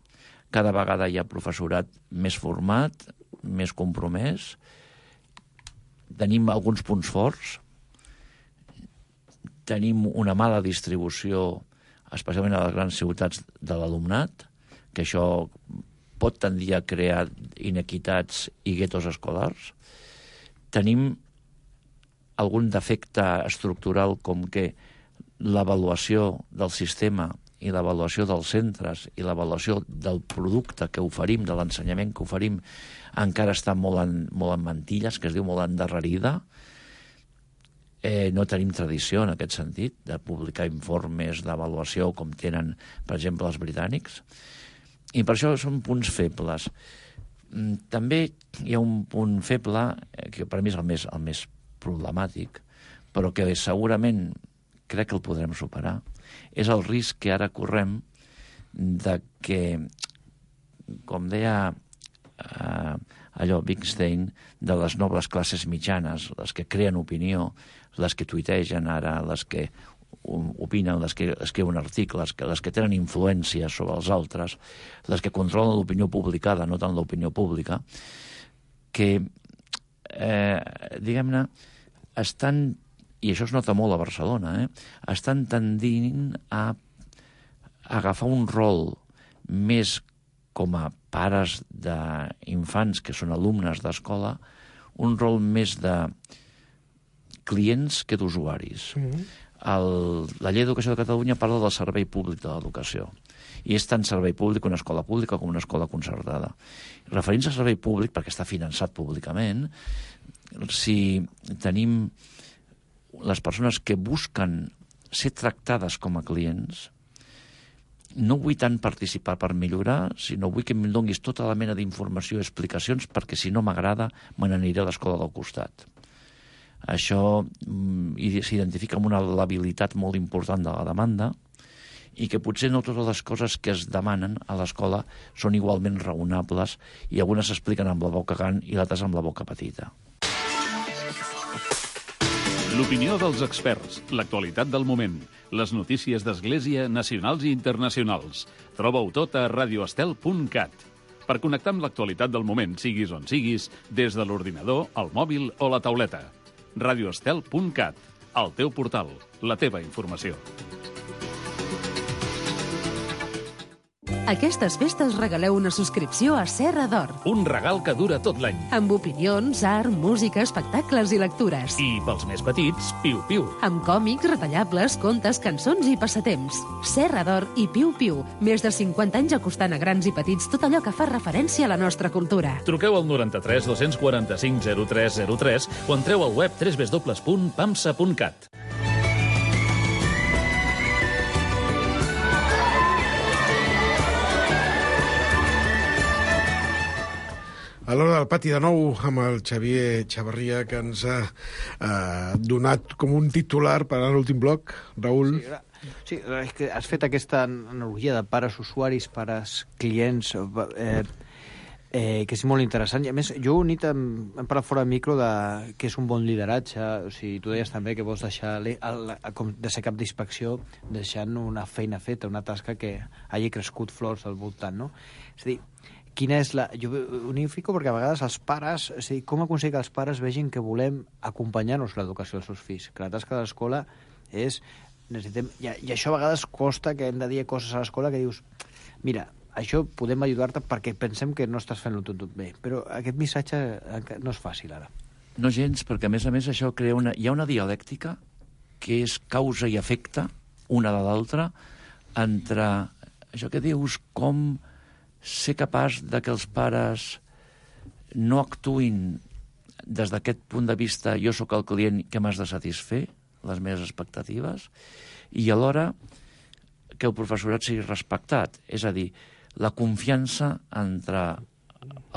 Cada vegada hi ha professorat més format, més compromès. Tenim alguns punts forts. Tenim una mala distribució, especialment a les grans ciutats, de l'alumnat, que això pot tendir a crear inequitats i guetos escolars. Tenim algun defecte estructural com que l'avaluació del sistema i l'avaluació dels centres i l'avaluació del producte que oferim, de l'ensenyament que oferim, encara està molt en mantilles, que es diu molt endarrerida. No tenim tradició en aquest sentit de publicar informes d'avaluació com tenen, per exemple, els britànics. I per això són punts febles. També hi ha un punt feble, que per mi és el més problemàtic, però que segurament crec que el podrem superar, és el risc que ara correm de que, com deia Wittgenstein, de les noves classes mitjanes, les que creen opinió, les que tuitegen ara, les que opinen, les que escriuen articles, les que tenen influència sobre els altres, les que controlen l'opinió publicada, no tant l'opinió pública, que, diguem-ne, estan, i això es nota molt a Barcelona, estan tendint a agafar un rol més com a pares d'infants que són alumnes d'escola, un rol més de clients que d'usuaris. La llei d'educació de Catalunya parla del servei públic de l'educació. I és tant servei públic una escola pública com una escola concertada. Referint-se al servei públic, perquè està finançat públicament, si tenim les persones que busquen ser tractades com a clients, no vull tant participar per millorar, sinó vull que em donguis tota la mena d'informació i explicacions, perquè si no m'agrada me n'aniré a l'escola del costat. Això s'identifica amb una labilitat molt important de la demanda i que potser no totes les coses que es demanen a l'escola són igualment raonables i algunes s'expliquen amb la boca gran i l'altres amb la boca petita. L'opinió dels experts, l'actualitat del moment, les notícies d'Església nacionals i internacionals. Troba-ho tot a radioestel.cat. Per connectar amb l'actualitat del moment, siguis on siguis, des de l'ordinador, el mòbil o la tauleta. radioestel.cat, el teu portal, la teva informació. Aquestes festes regaleu una subscripció a Serra d'Or. Un regal que dura tot l'any. Amb opinions, art, música, espectacles i lectures. I pels més petits, piu-piu. Amb còmics, retallables, contes, cançons i passatemps. Serra d'Or i piu-piu. Més de 50 anys acostant a grans i petits tot allò que fa referència a la nostra cultura. Truqueu al 93 245 0303 o entreu al web www.pamsa.cat. A l'hora del pati de nou amb el Xavier Chavarria, que ens ha donat com un titular per a l'últim bloc. Raül? Sí, és que has fet aquesta analogia de pares usuaris, pares clients, que és molt interessant. I a més, jo unit hem parlat fora de micro de que és un bon lideratge. O sigui, tu deies també que vols deixar com de ser cap d'inspecció deixant una feina feta, una tasca que hagi crescut flors al voltant, no? És a dir, quina és la... Jo unifico perquè a vegades els pares... És a dir, com aconseguir que els pares vegin que volem acompanyar-nos l'educació dels seus fills? Que la tasca de l'escola és... necessitem... I això a vegades costa que hem de dir coses a l'escola que dius mira, això podem ajudar-te perquè pensem que no estàs fent-ho tot bé. Però aquest missatge no és fàcil ara. No gens, perquè a més això crea hi ha una dialèctica que és causa i efecte, una de l'altra, entre això que dius com ser capaç de que els pares no actuïn des d'aquest punt de vista jo sóc el client que m'has de satisfer les meves expectatives i alhora que el professorat sigui respectat, és a dir, la confiança entre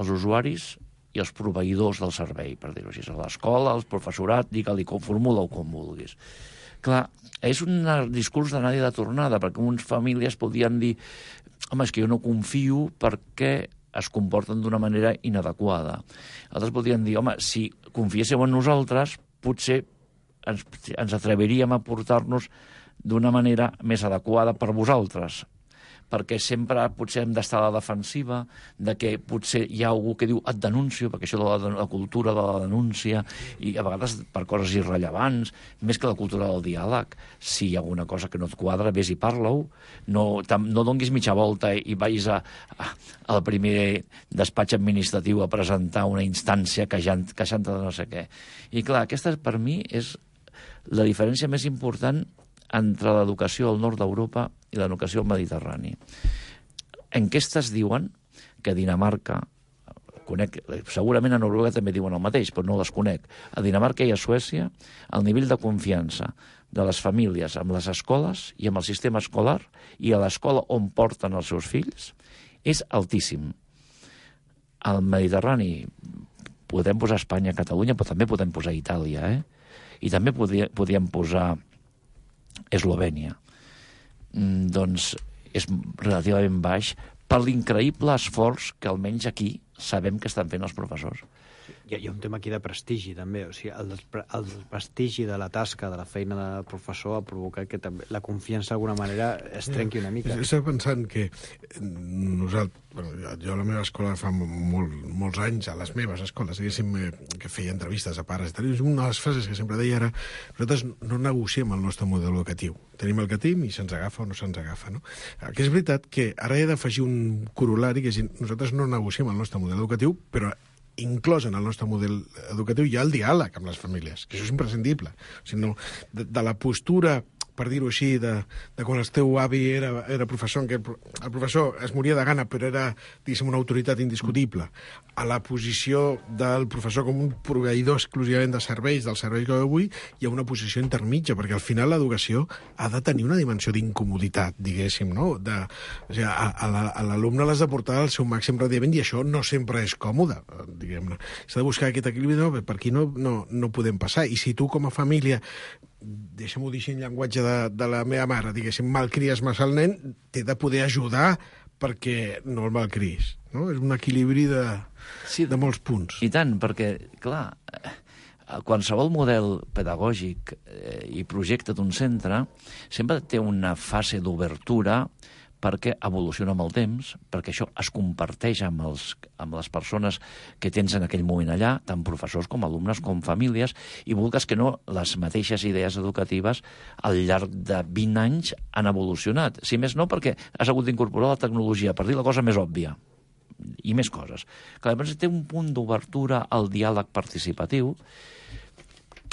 els usuaris i els proveïdors del servei, per dir-ho així, a l'escola, el professorat, digue-li com formula o com vulguis. Clar, és un discurs d'anada i de tornada, perquè unes famílies podien dir home, és que jo no confio perquè es comporten d'una manera inadequada. Altres podrien dir, home, si confiésseu en nosaltres, potser ens atreviríem a portar-nos d'una manera més adequada per vosaltres, perquè sempre potser hem d'estar a la defensiva, de que potser hi ha algú que diu et denuncio, perquè això de la cultura de la denúncia, i a vegades per coses irrellevants, més que la cultura del diàleg. Si hi ha alguna cosa que no et quadra, vés i parla-ho, no donguis mitja volta i vagis al primer despatx administratiu a presentar una instància queixant-te de no sé què. I clar, aquesta per mi és la diferència més important entre l'educació al nord d'Europa i l'educació al Mediterrani. Enquestes diuen que a Dinamarca, segurament a Noruega també diuen el mateix, però no les conec, a Dinamarca i a Suècia el nivell de confiança de les famílies amb les escoles i amb el sistema escolar i a l'escola on porten els seus fills és altíssim. Al Mediterrani podem posar Espanya, Catalunya, però també podem posar Itàlia, i també podríem posar Eslovènia. Doncs és relativament baix per l'increïble esforç que almenys aquí sabem que estan fent els professors. Hi ha un tema aquí de prestigi, també. O sigui, el prestigi de la tasca, de la feina del professor, ha provocat que també la confiança d'alguna manera es trenqui una mica. Estava pensant que nosaltres, jo a la meva escola fa molts anys, a les meves escoles, diguéssim, que feia entrevistes a pares i tal, una de les frases que sempre deia era nosaltres no negociem el nostre model educatiu. Tenim el que tenim i se'ns agafa o no se'ns agafa, no? Que és veritat que ara he d'afegir un corol·lari, que és nosaltres no negociem el nostre model educatiu, però inclòs en el nostre model educatiu hi ha el diàleg amb les famílies, que això és imprescindible. O sigui, no, de la postura per dir-ho així, de quan el teu avi era professor, en què el professor es moria de gana, però era, diguéssim, una autoritat indiscutible, a la posició del professor com un proveïdor exclusivament de serveis, del servei que avui, hi ha una posició intermitja, perquè al final l'educació ha de tenir una dimensió d'incomoditat, diguéssim, no? O sigui, a l'alumne l'has de portar al seu màxim rendiment i això no sempre és còmode, diguem-ne. S'ha de buscar aquest equilibri, no? Per aquí no podem passar. I si tu, com a família, deixa'm-ho dir així en llenguatge de la meva mare, diguéssim, malcries massa el nen, t'he de poder ajudar perquè no el malcris, no? És un equilibri de molts punts. I tant, perquè, clar, qualsevol model pedagògic i projecte d'un centre sempre té una fase d'obertura perquè evoluciona amb el temps, perquè això es comparteix amb les persones que tens en aquell moment allà, tant professors com alumnes com famílies, i vulgues que no, les mateixes idees educatives al llarg de 20 anys han evolucionat. Si més no, perquè has hagut d'incorporar la tecnologia, per dir la cosa més òbvia, i més coses. Clar, llavors té un punt d'obertura al diàleg participatiu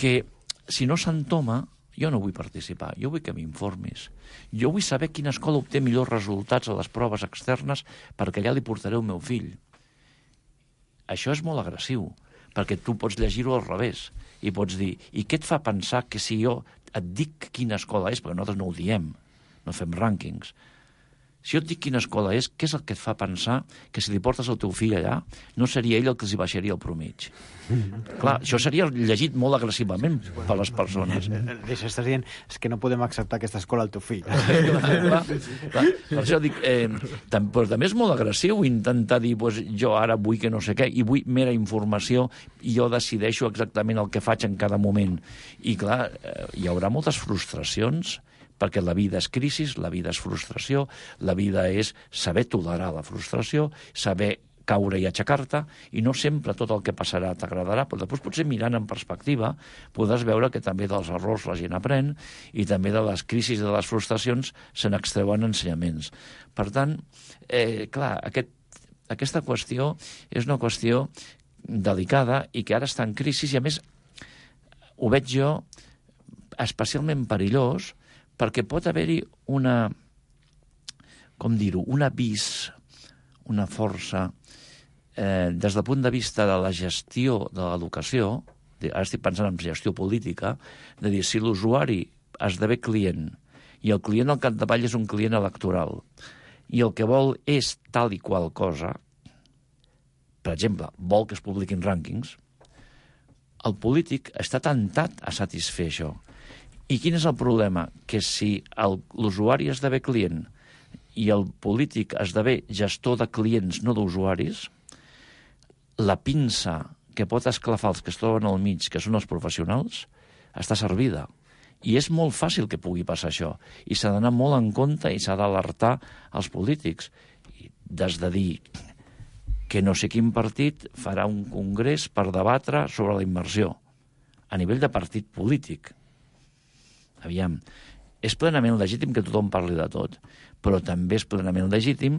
que, si no s'entoma, jo no vull participar, jo vull que m'informis. Jo vull saber quina escola obté millors resultats a les proves externes perquè allà li portaré el meu fill. Això és molt agressiu, perquè tu pots llegir-ho al revés i pots dir, i què et fa pensar que si jo et dic quina escola és, perquè nosaltres no ho diem, no fem rànquings, si jo et dic quina escola és, què és el que et fa pensar que si li portes el teu fill allà no seria ell el que els hi baixaria el promig? Clar, això seria llegit molt agressivament per les persones. Deixa, estàs dient, és que no podem acceptar aquesta escola al teu fill. Clar. Per això dic, però també és molt agressiu intentar dir, jo ara vull que no sé què, i vull mera informació, i jo decideixo exactament el que faig en cada moment. I clar, hi haurà moltes frustracions, perquè la vida és crisi, la vida és frustració, la vida és saber tolerar la frustració, saber caure i aixecar-te, i no sempre tot el que passarà t'agradarà, però després potser mirant en perspectiva podràs veure que també dels errors la gent aprèn i també de les crisis i de les frustracions se n'extreuen ensenyaments. Per tant, clar, aquesta qüestió és una qüestió delicada i que ara està en crisi i a més ho veig jo especialment perillós perquè pot haver-hi una, com dir-ho, un avís, una força, des del punt de vista de la gestió de l'educació, ara estic pensant en gestió política, de dir, si l'usuari esdevé client, i el client al capdavall és un client electoral, i el que vol és tal i qual cosa, per exemple, vol que es publiquin rànquings, el polític està tentat a satisfer això. I quin és el problema? Que si l'usuari esdevé client i el polític esdevé gestor de clients, no d'usuaris, la pinça que pot esclafar els que es troben al mig, que són els professionals, està servida. I és molt fàcil que pugui passar això. I s'ha d'anar molt en compte i s'ha d'alertar els polítics. Des de dir que no sé quin partit farà un congrés per debatre sobre la immersió a nivell de partit polític. Aviam, és plenament legítim que tothom parli de tot, però també és plenament legítim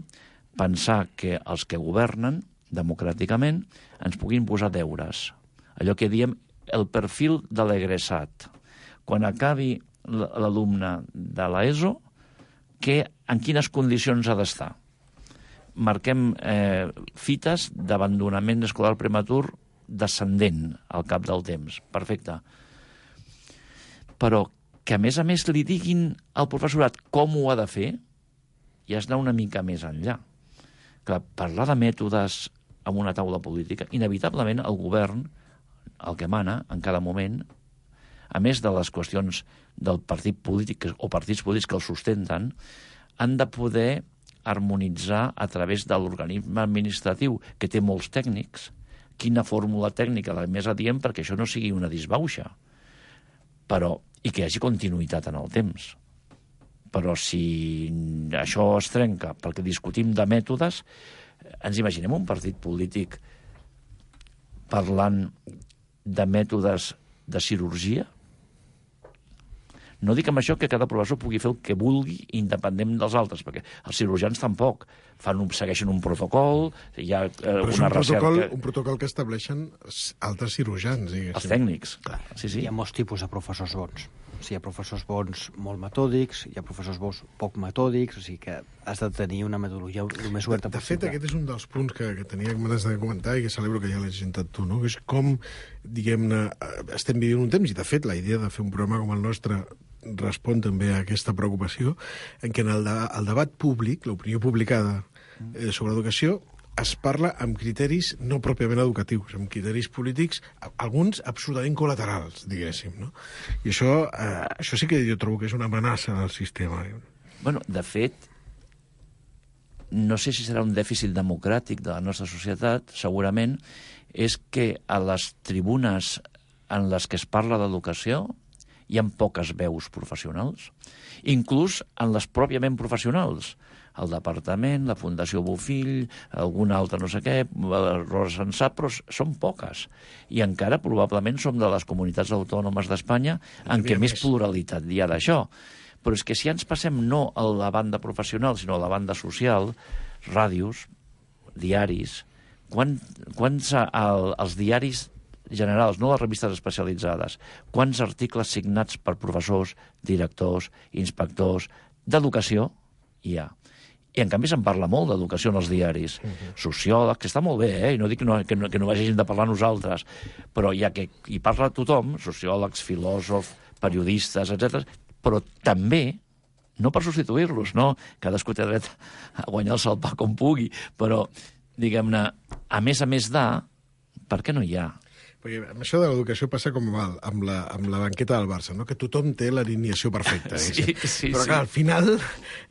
pensar que els que governen democràticament ens puguin posar deures. Allò que diem el perfil de l'egressat. Quan acabi l'alumne de l'ESO, en quines condicions ha d'estar? Marquem fites d'abandonament escolar prematur descendent al cap del temps. Perfecte. Però que a més li diguin al professorat com ho ha de fer, ja has d'anar una mica més enllà. Clar, parlar de mètodes en una taula política, inevitablement el govern, el que mana en cada moment, a més de les qüestions del partit polític o partits polítics que el sustenten, han de poder harmonitzar a través de l'organisme administratiu, que té molts tècnics, quina fórmula tècnica la més adient perquè això no sigui una disbauxa. Però i que hi hagi continuïtat en el temps. Però si això es trenca perquè discutim de mètodes, ens imaginem un partit polític parlant de mètodes de cirurgia? No dic amb això que cada professor pugui fer el que vulgui independent dels altres, perquè els cirurgians tampoc segueixen un protocol, hi ha una recerca... un protocol que estableixen altres cirurgians, diguéssim. Els tècnics, clar. Sí. Hi ha molts tipus de professors bons. sigui, hi ha professors bons molt metòdics, hi ha professors bons poc metòdics, o sigui que has de tenir una metodologia el més oberta possible. De fet, aquest és un dels punts que tenia ganes de comentar i que celebro que ja l'has presentat tu, no? Que és com, diguem-ne, estem vivint un temps, i de fet la idea de fer un programa com el nostre respon també a aquesta preocupació, en què en el debat públic, l'opinió publicada sobre educació, es parla amb criteris no pròpiament educatius, amb criteris polítics, alguns absolutament col·laterals, diguéssim, no? I això sí que jo trobo que és una amenaça al sistema. Bueno, de fet, no sé si serà un dèficit democràtic de la nostra societat, segurament, és que a les tribunes en les que es parla d'educació hi ha poques veus professionals, inclús en les pròpiament professionals. El departament, la Fundació Bofill, algun altre no sé què, Rosa Sensat, però són poques. I encara probablement som de les comunitats autònomes d'Espanya en què més pluralitat hi ha d'això. Però és que si ja ens passem no a la banda professional, sinó a la banda social, ràdios, diaris, els diaris generals, no les revistes especialitzades, quants articles signats per professors, directors, inspectors d'educació hi ha? I, en canvi, se'n parla molt d'educació en els diaris. Sociòlegs, que està molt bé, i no dic que no vagin de parlar nosaltres, però ja que hi parla tothom, sociòlegs, filòsofs, periodistes, etc., però també, no per substituir-los, no? Cadascú té dret a guanyar-se el pa com pugui, però, diguem-ne, a més per què no hi ha? Perquè amb això de l'educació passa com amb la banqueta del Barça, no? Que tothom té l'alineació perfecta. Però clar, al final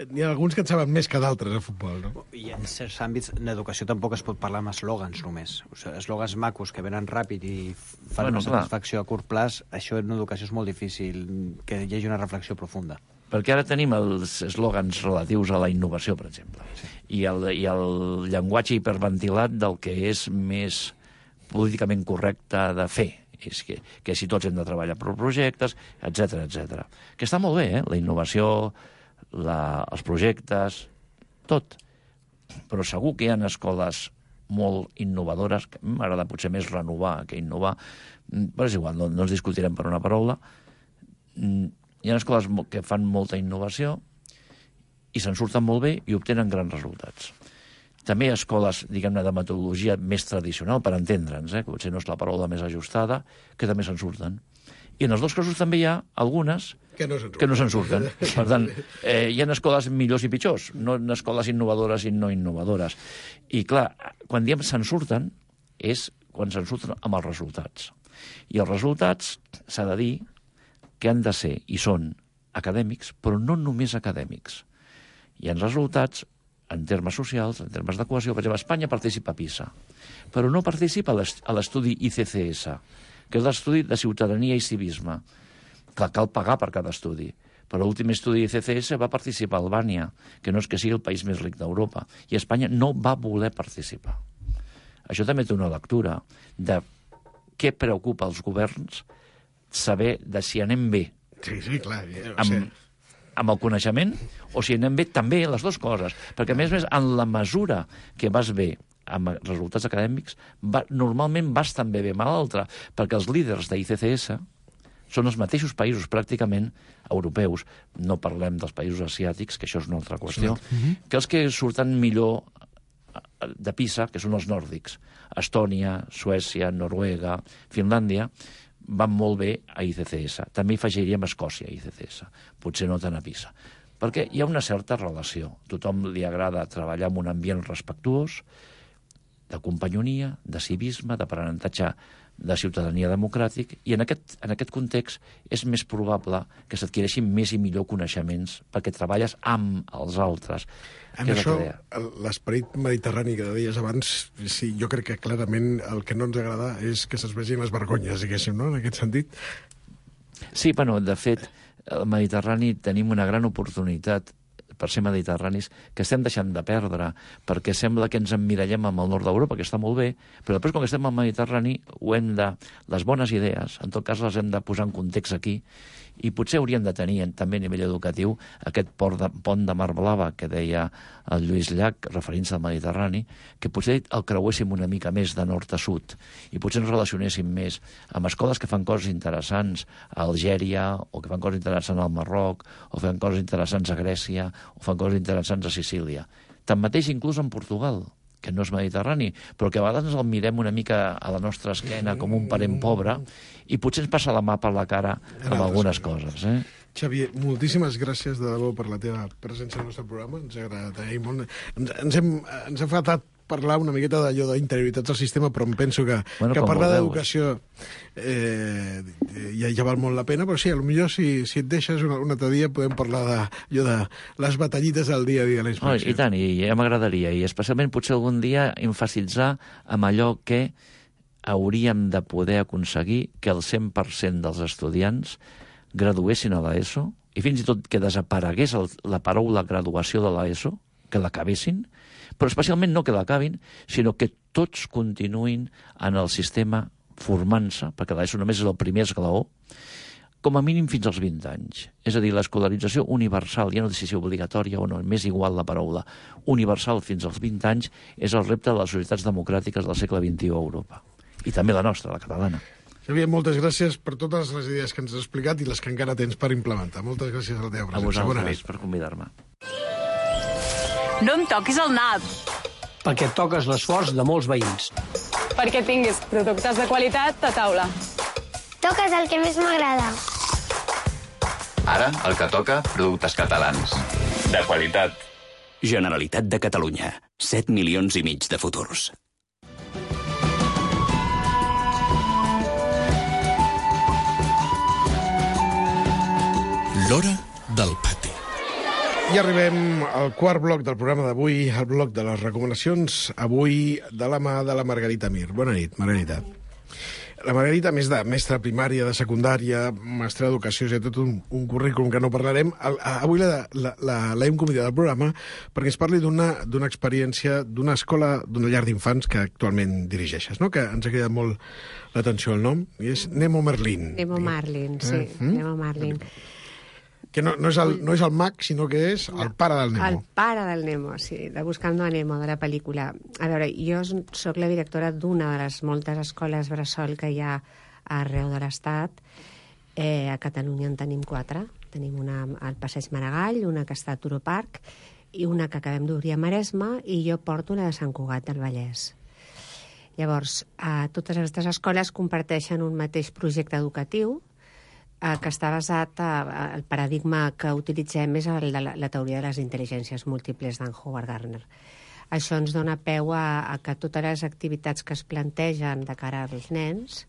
n'hi ha alguns que en saben més que d'altres a futbol, no? I en certs àmbits, en educació tampoc es pot parlar amb eslògans només. O sigui, eslògans macos que venen ràpid i fan una satisfacció a curt plaç, això en educació és molt difícil que hi hagi una reflexió profunda. Perquè ara tenim els eslògans relatius a la innovació, per exemple, i el llenguatge hiperventilat del que és més políticament correcte de fer, és que si tots hem de treballar per projectes, etc. Que està molt bé, la innovació, els projectes, tot. Però segur que hi ha escoles molt innovadores, que m'agrada potser més renovar que innovar, però és igual, no ens discutirem per una paraula. Hi ha escoles que fan molta innovació i se'n surten molt bé i obtenen grans resultats. També hi ha escoles, diguem-ne, de metodologia més tradicional, per entendre'ns, que potser no és la paraula més ajustada, que també se'n surten. I en els dos casos també hi ha algunes que no se'n surten. Per tant, hi ha escoles millors i pitjors, no escoles innovadores i no innovadores. I clar, quan diem se'n surten, és quan se'n surten amb els resultats. I els resultats, s'ha de dir, que han de ser, i són, acadèmics, però no només acadèmics. Hi ha resultats en termes socials, en termes de cohesió. Per exemple, Espanya participa a PISA, però no participa a l'estudi ICCS, que és l'estudi de ciutadania i civisme. Clar, cal pagar per cada estudi. Però l'últim estudi ICCS va participar a Albània, que no és que sigui el país més ric d'Europa, i Espanya no va voler participar. Això també té una lectura de què preocupa als governs saber de si anem bé. Sí, clar. Amb el coneixement, o si anem bé també les dues coses. Perquè, a més, en la mesura que vas bé amb resultats acadèmics, normalment vas també bé amb l'altre, perquè els líders d'ICCS són els mateixos països, pràcticament, europeus. No parlem dels països asiàtics, que això és una altra qüestió, que els que surten millor de PISA, que són els nòrdics. Estònia, Suècia, Noruega, Finlàndia, van molt bé a ICCS. També hi afegiríem Escòcia a ICCS. Potser no tant a PISA. Perquè hi ha una certa relació. Tothom li agrada treballar en un ambient respectuós, de companyonia, de civisme, d'aprenentatge de ciutadania democràtic, i en aquest context és més probable que s'adquireixin més i millor coneixements perquè treballes amb els altres. En això, l'esperit mediterrani que deies abans, sí, jo crec que clarament el que no ens agrada és que se'ns vegin les vergonyes, diguéssim, no?, en aquest sentit. Sí, bueno, de fet, al Mediterrani tenim una gran oportunitat per ser mediterranis, que estem deixant de perdre, perquè sembla que ens emmirallem amb el nord d'Europa, que està molt bé, però després, quan estem al Mediterrani, les bones idees, en tot cas, les hem de posar en context aquí, i potser hauríem de tenir també a nivell educatiu aquest pont de Mar Blava que deia el Lluís Llach, referint-se al Mediterrani, que potser el creuéssim una mica més de nord a sud i potser ens relacionéssim més amb escoles que fan coses interessants a Algèria, o que fan coses interessants al Marroc, o fan coses interessants a Grècia, o fan coses interessants a Sicília. Tanmateix, inclús en Portugal, que no és mediterrani, però que a vegades ens el mirem una mica a la nostra esquena com un parent pobre i potser ens passa la mà per la cara amb algunes coses. Xavier, moltíssimes gràcies de debò per la teva presència al nostre programa. Ens ha agradat molt. Ens ha faltat parlar una miqueta d'allò d'interioritats del sistema, però em penso que parlar d'educació ja val molt la pena, però sí, potser si et deixes un altre dia podem parlar de les batallites del dia a dia de la inspecció. I tant, i ja m'agradaria, i especialment potser algun dia emfasitzar amb allò que hauríem de poder aconseguir que el 100% dels estudiants graduessin a l'ESO, i fins i tot que desaparegués la paraula graduació de l'ESO, que l'acabessin, però especialment no que l'acabin, sinó que tots continuïn en el sistema formant-se, perquè l'ESO només és el primer esglaó, com a mínim fins als 20 anys. És a dir, l'escolarització universal, ja no sé si obligatòria o no, m'és igual la paraula, universal fins als 20 anys, és el repte de les societats democràtiques del segle XXI a Europa. I també la nostra, la catalana. Xavier, moltes gràcies per totes les idees que ens has explicat i les que encara tens per implementar. Moltes gràcies a la teva presència. A vosaltres per convidar-me. No em toquis el nap. Perquè toques l'esforç de molts veïns. Perquè tinguis productes de qualitat a taula. Toques el que més m'agrada. Ara, el que toca, productes catalans. De qualitat. Generalitat de Catalunya. 7,5 milions de futurs. L'hora del pati. I arribem al quart bloc del programa d'avui, el bloc de les recomanacions, avui de la mà de la Margarita Mir. Bona nit, Margarita. La Margarita, a més de mestra primària, de secundària, mestra d'educació, és tot un currículum que no parlarem. Avui l'hem convidat al programa perquè ens parli d'una experiència d'una escola, d'una llar d'infants que actualment dirigeixes, no? Que ens ha cridat molt l'atenció el nom, i és Nemo Merlin. Nemo Marlin, sí, Nemo Marlin. Que no és el mag, sinó que és el pare del Nemo. El pare del Nemo, sí, de Buscando a Nemo, de la pel·lícula. A veure, jo sóc la directora d'una de les moltes escoles bressol que hi ha arreu de l'Estat. A Catalunya en tenim 4. Tenim una al Passeig Maragall, una que està a Turó Park, i una que acabem d'obrir a Maresme, i jo porto la de Sant Cugat del Vallès. Llavors, totes aquestes escoles comparteixen un mateix projecte educatiu, que està basat, el paradigma que utilitzem és el de la teoria de les intel·ligències múltiples d'en Howard Gardner. Això ens dona peu a que totes les activitats que es plantegen de cara als nens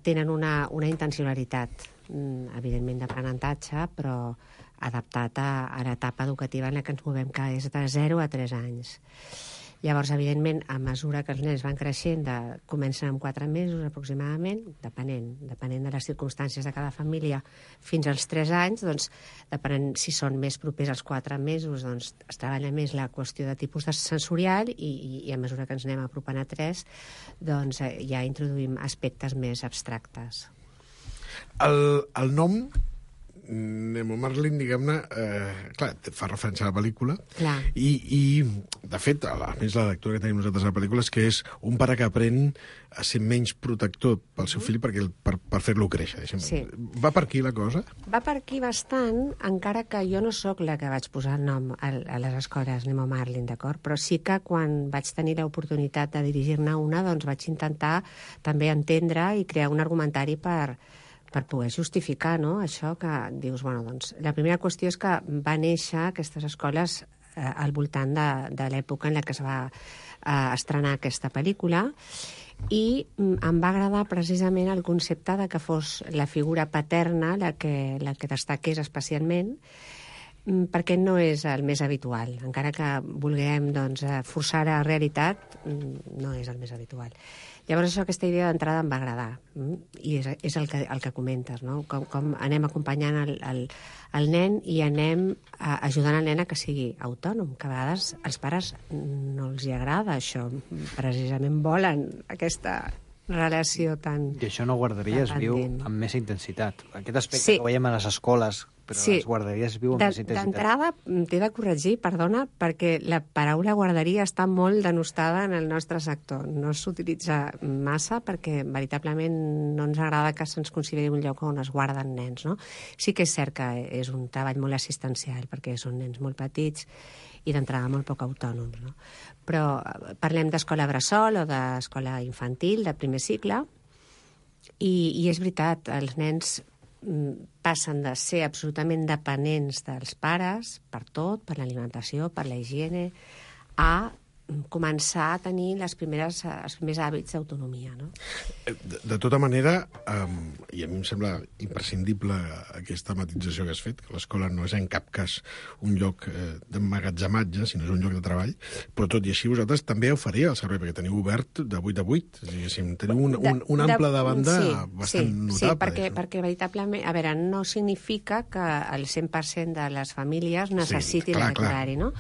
tenen una intencionalitat, evidentment d'aprenentatge, però adaptat a l'etapa educativa en la que ens movem, que és de 0 a 3 anys. Llavors, evidentment, a mesura que els nens van creixent, comencen amb 4 mesos aproximadament, depenent de les circumstàncies de cada família, fins als 3 anys, doncs, depenent si són més propers als 4 mesos, doncs es treballa més la qüestió de tipus sensorial i a mesura que ens anem apropant a 3, doncs ja introduïm aspectes més abstractes. El nom Nemo Marlin, diguem-ne, clar, fa referència a la pel·lícula, i de fet, a més la lectura que tenim nosaltres a la pel·lícula és que és un pare que aprèn a ser menys protector pel seu fill per fer-lo créixer. Sí. Va per aquí la cosa? Va per aquí bastant, encara que jo no sóc la que vaig posar el nom a les escoles Nemo Marlin, d'acord? Però sí que quan vaig tenir l'oportunitat de dirigir-ne una, doncs vaig intentar també entendre i crear un argumentari per poder justificar, no?, això que dius, bueno, doncs, la primera qüestió és que va néixer aquestes escoles al voltant de l'època en la que es va estrenar aquesta pel·lícula, i em va agradar precisament el concepte de que fos la figura paterna la que destaqués especialment, perquè no és el més habitual. Encara que vulguem forçar a realitat, no és el més habitual. Llavors, aquesta idea d'entrada em va agradar, i és el que comentes, no? Com anem acompanyant el nen i anem ajudant el nen a que sigui autònom, que a vegades als pares no els hi agrada això, precisament volen aquesta relació tan... I això no guarderies viu amb més intensitat. Aquest aspecte que veiem a les escoles, però les guarderies viu amb més intensitat. D'entrada, t'he de corregir, perdona, perquè la paraula guarderia està molt denostada en el nostre sector. No s'utilitza massa perquè veritablement no ens agrada que se'ns consideri un lloc on es guarden nens, no? Sí que és cert que és un treball molt assistencial, perquè són nens molt petits i d'entrada molt poc autònoms, no? Però parlem d'escola bressol o d'escola infantil, de primer cicle, i és veritat, els nens passen de ser absolutament dependents dels pares per tot, per l'alimentació, per la higiene, a començar a tenir els primers hàbits d'autonomia, no? De tota manera, i a mi em sembla imprescindible aquesta matització que has fet, que l'escola no és en cap cas un lloc d'emmagatzematge, sinó és un lloc de treball, però tot i així vosaltres també oferia el servei, perquè teniu obert de 8 a 8, diguéssim, teniu un ample de banda bastant notable. Sí, perquè veritablement, a veure, no significa que el 100% de les famílies necessitin aquest horari, no?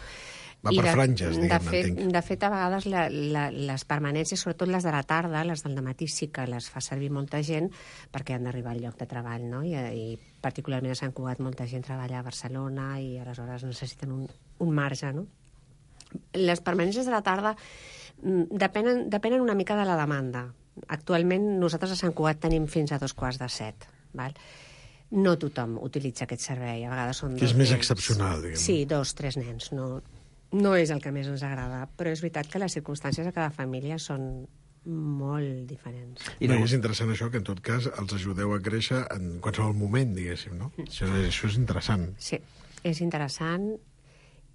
Va per franges, diguem-ne, entenc. De fet, a vegades les permanències, sobretot les de la tarda, les del matí sí que les fa servir molta gent perquè han d'arribar al lloc de treball, no? I particularment a Sant Cugat molta gent treballa a Barcelona i aleshores necessiten un marge, no? Les permanències de la tarda depenen una mica de la demanda. Actualment nosaltres a Sant Cugat tenim fins a 6:45, val? No tothom utilitza aquest servei, a vegades són 2 nens. Que és més excepcional, diguem. Sí, 2, 3 nens, no és el que més ens agrada, però és veritat que les circumstàncies de cada família són molt diferents. I és interessant això, que en tot cas els ajudeu a créixer en qualsevol moment, diguéssim, no? Això és interessant. Sí, és interessant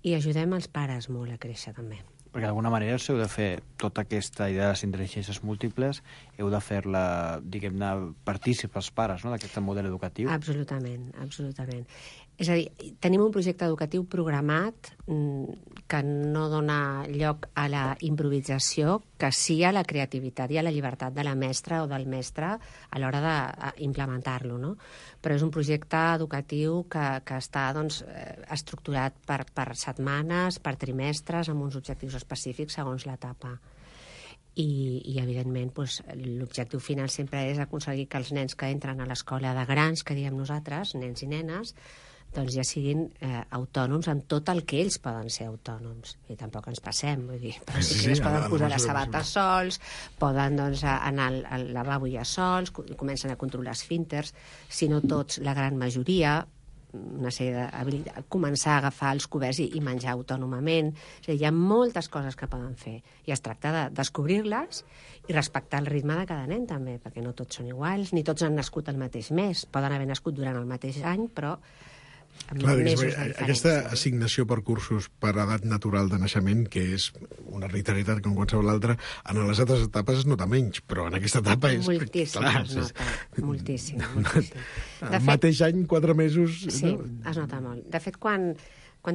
i ajudem els pares molt a créixer també. Perquè d'alguna manera us heu de fer tota aquesta idea de les intel·ligències múltiples, heu de fer-la, diguem-ne, partícips als pares, no?, d'aquest model educatiu. Absolutament, absolutament. És a dir, tenim un projecte educatiu programat que no dona lloc a la improvisació, que sí a la creativitat i a la llibertat de la mestra o del mestre a l'hora d'implementar-lo, no? Però és un projecte educatiu que està estructurat per setmanes, per trimestres, amb uns objectius específics segons l'etapa. I evidentment, l'objectiu final sempre és aconseguir que els nens que entren a l'escola de grans, que diem nosaltres, nens i nenes, doncs ja siguin autònoms en tot el que ells poden ser autònoms. I tampoc ens passem, vull dir, però sí que ells poden posar les sabates sols, poden anar al lavabo ja sols, comencen a controlar esfínters, si no tots, la gran majoria, una sèrie d'habilitats, començar a agafar els coberts i menjar autònomament. És a dir, hi ha moltes coses que poden fer i es tracta de descobrir-les i respectar el ritme de cada nen també, perquè no tots són iguals, ni tots han nascut el mateix mes, poden haver nascut durant el mateix any, però clar, aquesta assignació per cursos per edat natural de naixement, que és una arbitrarietat com qualsevol altra, en les altres etapes es nota menys, però en aquesta etapa és... Moltíssim, clar, es nota, moltíssim. El mateix any, 4 mesos... Sí, es nota molt. De fet, quan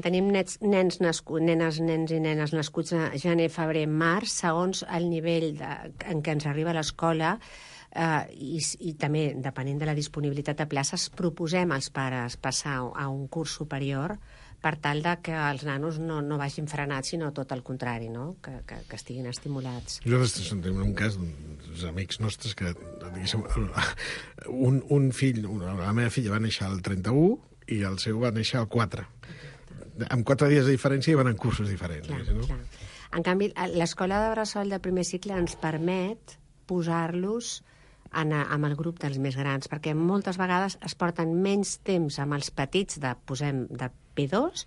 tenim nens i nenes nascuts a gener, febrer, març, segons el nivell en què ens arriba a l'escola, i també, depenent de la disponibilitat de places, proposem als pares passar a un curs superior per tal de que els nanos no vagin frenats, sinó tot el contrari, no? Que estiguin estimulats. Nosaltres tenim un cas d'uns amics nostres que, diguéssim, un fill, la meva filla va néixer al 31 i el seu va néixer al 4. Amb 4 dies de diferència i van en cursos diferents. Clar. En canvi, l'escola de bressol de primer cicle ens permet posar-los amb el grup dels més grans, perquè moltes vegades es porten menys temps amb els petits de P2,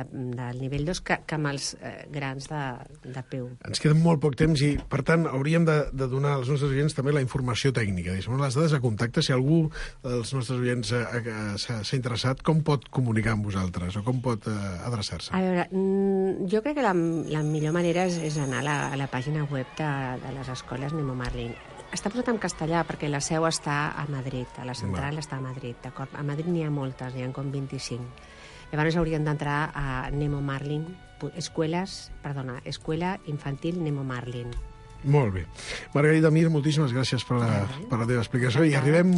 del nivell 2, que amb els grans de P1. Ens queda molt poc temps i, per tant, hauríem de donar als nostres oients també la informació tècnica. Les dades de contacte, si algú dels nostres oients s'ha interessat, com pot comunicar amb vosaltres o com pot adreçar-se? A veure, jo crec que la millor manera és anar a la pàgina web de les escoles Nemo Marlin. Està posat en castellà perquè la seu està a Madrid, a la central està a Madrid, d'acord? A Madrid n'hi ha moltes, n'hi ha com 25. Llavors haurien d'entrar a Nemo Marlin, Escuela Infantil Nemo Marlin. Molt bé. Margarida Mir, moltíssimes gràcies per la teva explicació i arribem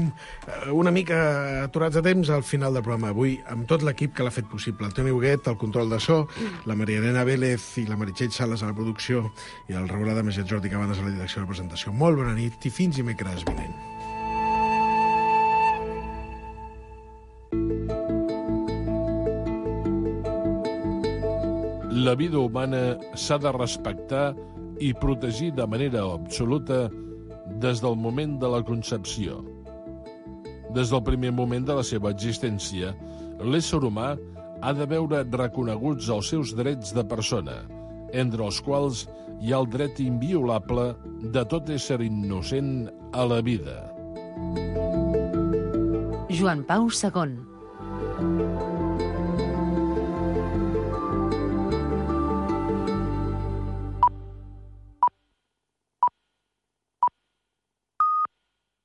una mica aturats de temps al final del programa. Avui, amb tot l'equip que l'ha fet possible. El Toni Huguet, al control de so, la Maria Elena Vélez i la Meritxell Sales a la producció i el Raül Adames i el Jordi Cabanes a la direcció de la presentació. Molt bona nit i fins dimecres vinent. La vida humana s'ha de respectar i protegir de manera absoluta des del moment de la concepció. Des del primer moment de la seva existència, l'ésser humà ha de veure reconeguts els seus drets de persona, entre els quals hi ha el dret inviolable de tot ésser innocent a la vida. Joan Pau II.